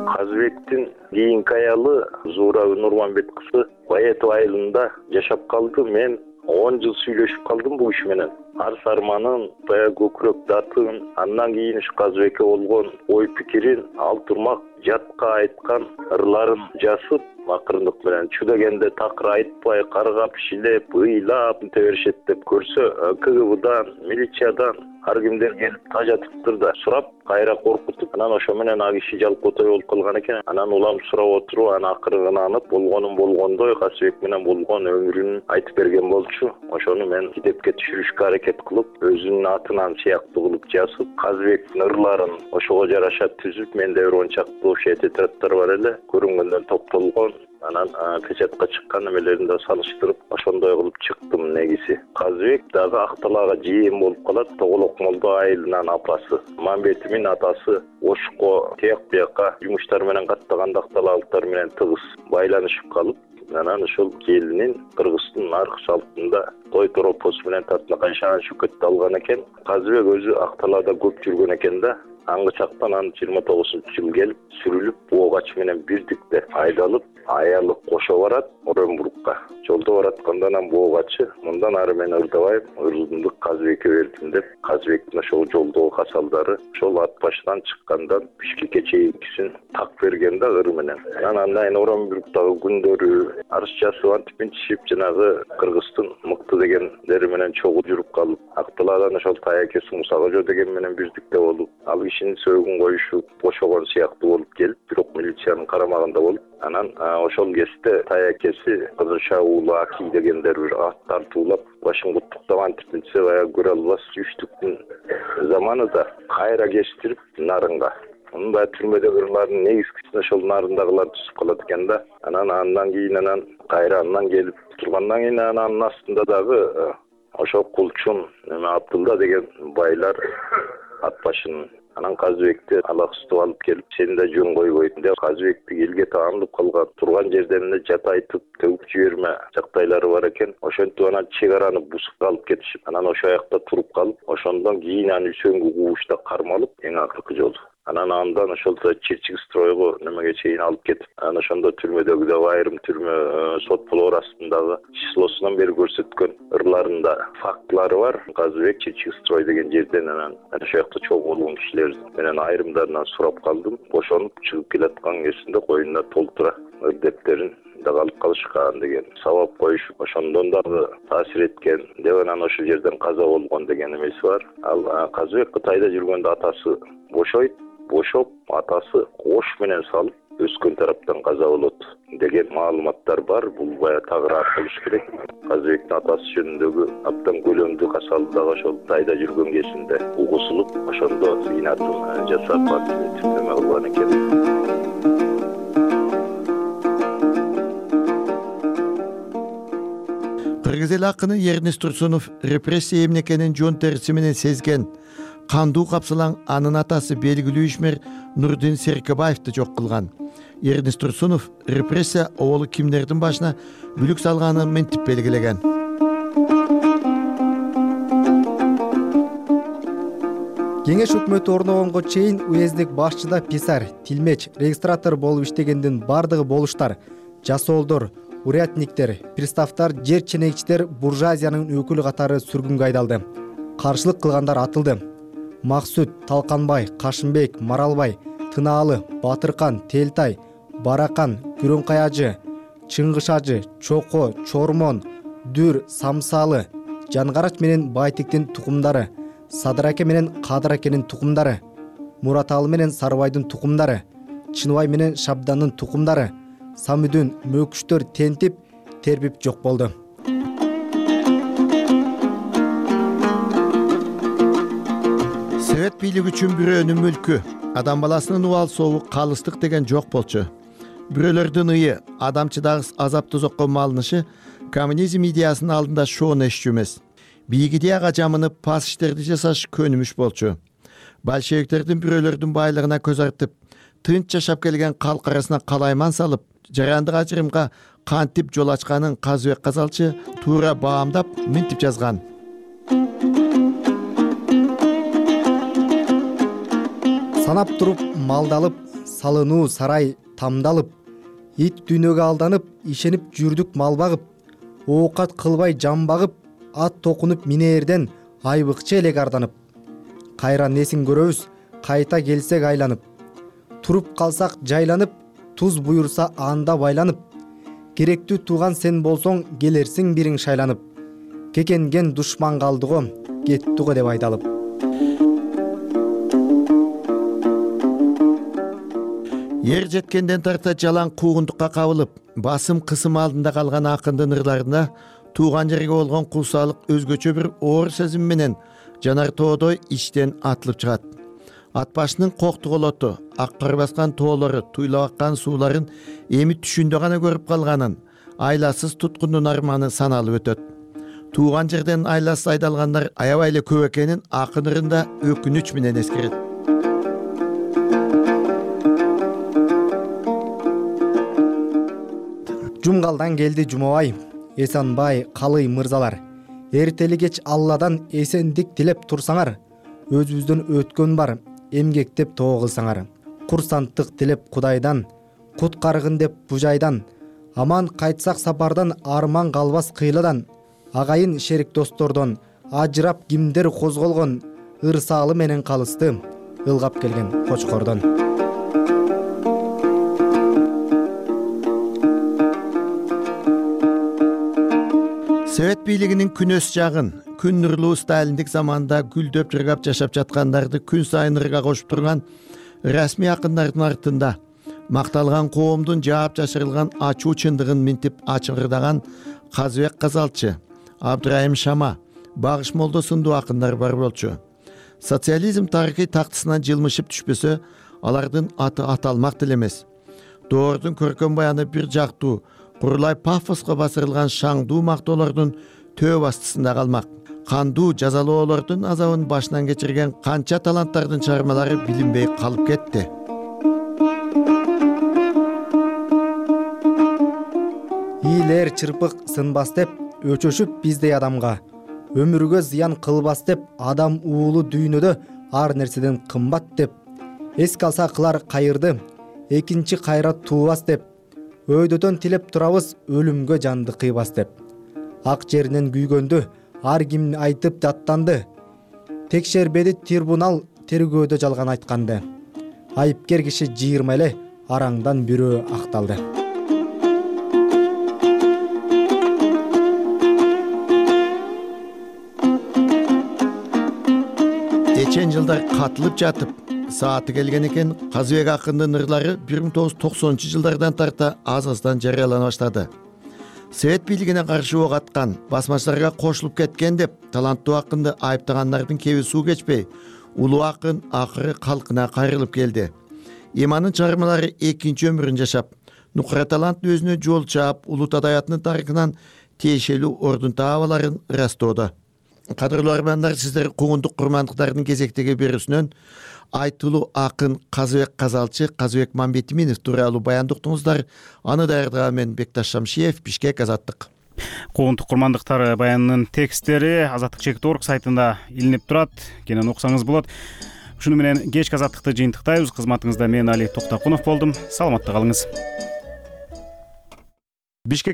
Казыбектин кийинки аялы Зуура Нурманбет кызы Баетов айылында жашап калды. Мен он жыл сүйлөшүп калдым бул киши менен. Арс арманын, баягы көкүрөк датын, андан кийин ушу Казыбекке болгон ой пикирин, ал турмак жатка айткан ырларын жазып, акырындык менен чу дегенде такыр айтпай, каргап, шилеп, ыйлап өтө беришет деп көрсө, КГБдан, милициядан ар кимдер келип тажатыптыр да сурап, кайра коркутуп, анан ошо менен а киши жалпотой болуп калган экен. Анан улам сурап отуруп, анан акыры ынанып, болгонун болгондой Казыбек менен болгон өмүрүн айтып берген болчу. Ошону мен китепке түшүрүшкө аракет кылып, өзүнүн атынан сыяктуу кылып жазып, Казыбектин ырларын ошого жараша түзүп, менде бир он чактуу тетрадьтар бар эле, көрүнгөндөн топтолгон. Анан печатка чыккан эмелерин да салыштырып, ошондой кылып чыктым негизи. Казыбек дагы Акталаага жээм болуп калат. Тоголок молдо айылынан апасы, Мамбетимин атасы Ошко тияк биякка жумуштар менен каттаганда Акталаалыктар менен тыгыз байланышып калып, анан ошол келинин Кыргыздын арк салтында той торопосу менен тартла кайшаган шөкөттү алган экен. Казыбек өзү Акталаада көп жүргөн экен да. Аңгы чактан анын жыйырма тогузунчу жылы келип, сүрүлүп, боогач менен бирдикте айдалып, аялы кошо барат Оренбургка. Жолдо баратканда анан боогачы мындан ары мен ырдабайм, ырымды Казыбекке бердим деп, Казыбектин ошол жолдогу касалдары ошол ат башынан чыккандан Бишкекке чейинкисин так берген да ыры менен. Анан андан кийин Оренбургдагы күндөрү арыз жазып, антип мынтип жанагы Кыргыздын мыкты дегендери менен чогуу жүрүп калып, Акталаадан ошол таякеси Муса Кожо деген менен бирдикте болуп, ал кишинин сөөгүн коюшуп, бошогон сыяктуу болуп келип, бирок милициянын карамагында болуп, анан ошол кезде таякеси Кызылша уулу Аки дегендер бир ат тартуулап, башын куттуктап антип мынтсе баягы көрө албас үчтүктүн заманында кайра кештирип нарынга. Мунун баягы түрмөдөгү ырлардын негизгисин ошол нарындагылар түзүп калат экен да. Анан андан кийин анан кайра андан келип тургандан кийин анын астында дагы ошол Кулчун, Абдулла деген байлар ат башын Анан Казыбекти алаксыздап алып келип, сени да жөн койбойт деп Казыбекти элге таандып калган, турган жерден эле жат айтып, төгүп жиберме жактайлары бар экен. Ошентип анан чек араны бусуп алып кетишип, анан ошол жакта туруп калып, ошондон кийин аны Үсөнгө куушта кармалып, эң акыркы жолу. Анан андан ошолто Чирчик стройго немеге чейин алып кетип, анан ошондо түрмөдөгү да айрым түрмө сот болоор астындагы числосунан бери көрсөткөн ырларында фактылары бар. Казыбек Чирчик строй деген жерден анан ошол жакта чогуу болгон кишилер менен айрымдарынан сурап калдым. Ошонуп чыгып келаткан кезинде коюнуна толтура ырдептерин да калып калышкан деген сабап коюшуп, ошондон дагы таасир эткен деп анан ошол жерден каза болгон деген эмеси бар. Ал Казыбек Кытайда жүргөндө атасы бошойт, бошоп атасы кош менен салып өскөн тараптан каза болот деген маалыматтар бар. Бул бая тагыраак болуш керек. Казыбектин атасы жөнүндөгү абдан көлөмдүү касалы дагы ошол Кытайда жүргөн кезинде угусулуп, ошондо зыйнатын жасап түрмө кылган экен. Кыргыз эл акыны Эрнест Турсунов репрессия эмне экенин жон териси менен сезген, кандуу капсалаң анын атасы белгилүү ишмер Нурдин Серкебаевди жок кылган. Эрнест Турсунов репрессия оболу кимдердин башына бүлүк салганын мынтип белгилеген. Кеңеш өкмөтү орногонго чейин уездик башчыда писарь, тилмеч, регистратор болуп иштегендин бардыгы болуштар, жасоолдор, урядниктер, приставтар, жер ченекчилер буржуазиянын өкүлү катары сүргүнгө айдалды. Каршылык кылгандар атылды. Максут, Талканбай, Кашымбек, Маралбай, Тынаалы, Батыркан, Телтай, Баракан, Күрөңкаяжы, Чыңгышажы, Чоко, Чормон, Дүр, Самсалы, Жангарач менен Байтиктин тукумдары, Садыраке менен Кадыракенин тукумдары, Мураталы менен Сарыбайдын тукумдары, Чыныбай менен Шабдандын тукумдары, Самүдүн мөкүштөр тентип, тербип жок болду. Совет бийлиги үчүн бирөөнүн мүлкү, адам баласынын убал сообу калыстык деген жок болчу. Бирөөлөрдүн ые, адамчыдагы азап тозокко малынышы коммунизм идеясынын алдында шоону эшчү эмес. Бийик идеяга жамынып пас иштерди жасаш көнүмүш болчу. Большевиктердин бирөөлөрдүн байлыгына көз артып, тынч жашап келген калк арасына калайман салып, жарандык ажырымга кантип жол ачканын Казыбек Казалчы туура баамдап мынтип жазган. Санап туруп малдалып, салынуу сарай тамдалып, ит дүйнөгө алданып, ишенип жүрдүк мал багып, оокат кылбай жан багып, ат токунуп минээрден айбыкчы элек арданып. Кайра несин көрөбүз, кайта келсек айланып, туруп калсак жайланып, туз буюрса анда байланып, керектүү тууган сен болсоң келерсиң бириң шайланып, кекенген душман калды го, кетти го деп айдалып. Ер жеткенден тарта жалаң куугундукка кабылып, басым кысым алдында калган акындын ырларында тууган жерге болгон куусалык өзгөчө бир оор сезим менен жанар тоодой ичтен атылып чыгат. Ат башынын коктуголоту, ак кар баскан тоолору, туйлап аккан сууларын эми түшүндө гана көрүп калганын, айласыз туткундун арманы саналып өтөт. Тууган жерден айласыз айдалгандар аябай эле көп экенин акын ырында өкүнүч менен эскерет. Жумгалдан келди Жумабай, Эсанбай, Калый мырзалар. Эртели кеч Алладан эсендик тилеп турсаңар, өзүбүздөн өткөн бар, эмгектеп тоо кылсаңар. Курсанттык тилеп Кудайдан, кут карыгын деп бужайдан, аман кайтсак сапардан арман калбас кыйладан, агайын шерик достордон ажырап кимдер козголгон, ырсаалы менен калысты, ылгап келген кочкордон. Совет бийлигинин күнөс жагын, күн нурлуу сталиндик заманда гүлдөп жыргап жашап жаткандарды күн сайын ырга кошуп турган расмий акындардын артында макталган коомдун жаап жашырылган ачуу чындыгын мынтип ачыгырдаган Казыбек Казалчы, Абдырайым Шама, Багыш Молдо сындуу акындар бар болчу. Социализм тарыхый тактысынан жылмышып түшпөсө, алардын аты аталмак деле эмес. Доордун көркөм баяны бир жактуу, курулай пафоска басырылган шаңдуу мактоолордун төө бастысында калмак. кандуу жазалоолордун азабын башынан кечирген канча таланттардын чыгармалары билинбей калып кетти. Ийлер чырпык сынбас деп өчөшүп биздей адамга, өмүргө зыян кылбас деп адам уулу дүйнөдө ар нерседен кымбат деп, эске алса кылар кайырды, экинчи кайра туубас деп, өйдөтөн тилеп турабыз өлүмгө жанды кыйбас деп. Ак жеринен күйгөндү ар ким айтып даттанды, текшербеди трибунал тергөөдө жалган айтканды. Айыпкер киши жыйырма эле араңдан бирөө акталды. Эчен жылдар катылып жатып, сааты келген экен, Казыбек акындын ырлары бир миң тогуз жүз токсонунчу жылдардан тарта аз-аздан жарыялана баштады. Совет бийлигине каршы ок аткан, басмачыларга кошулуп кеткен деп таланттуу акынды айыптагандардын кеби суу кечпей, улуу акын акыры калкына кайрылып келди. Иманын чыгармалары экинчи өмүрүн жашап, нукура талант өзүнө жол чаап, улут адабиятынын тарыхынан тиешелүү ордун таап аларын ырастоодо. Кадырлуу армандар, сиздер куугундук курмандыктардын кезектеги берүүсүнөн айтылуу акын Казыбек Казалчы, Казыбек Мамбетиминов тууралуу баянды уктуңуздар. Аны даярдаган мен Бекташ Шамшиев, Бишкек, Азаттык. Куугундук курмандыктар баянынын тексттери Азаттык чекит точка орг сайтында илинип турат. Кенен окусаңыз болот. Ушуну менен кечки Азаттыкты жыйынтыктайбыз. Кызматыңызда мен Али Токтокунов болдум. Саламатта калыңыз. Бишкек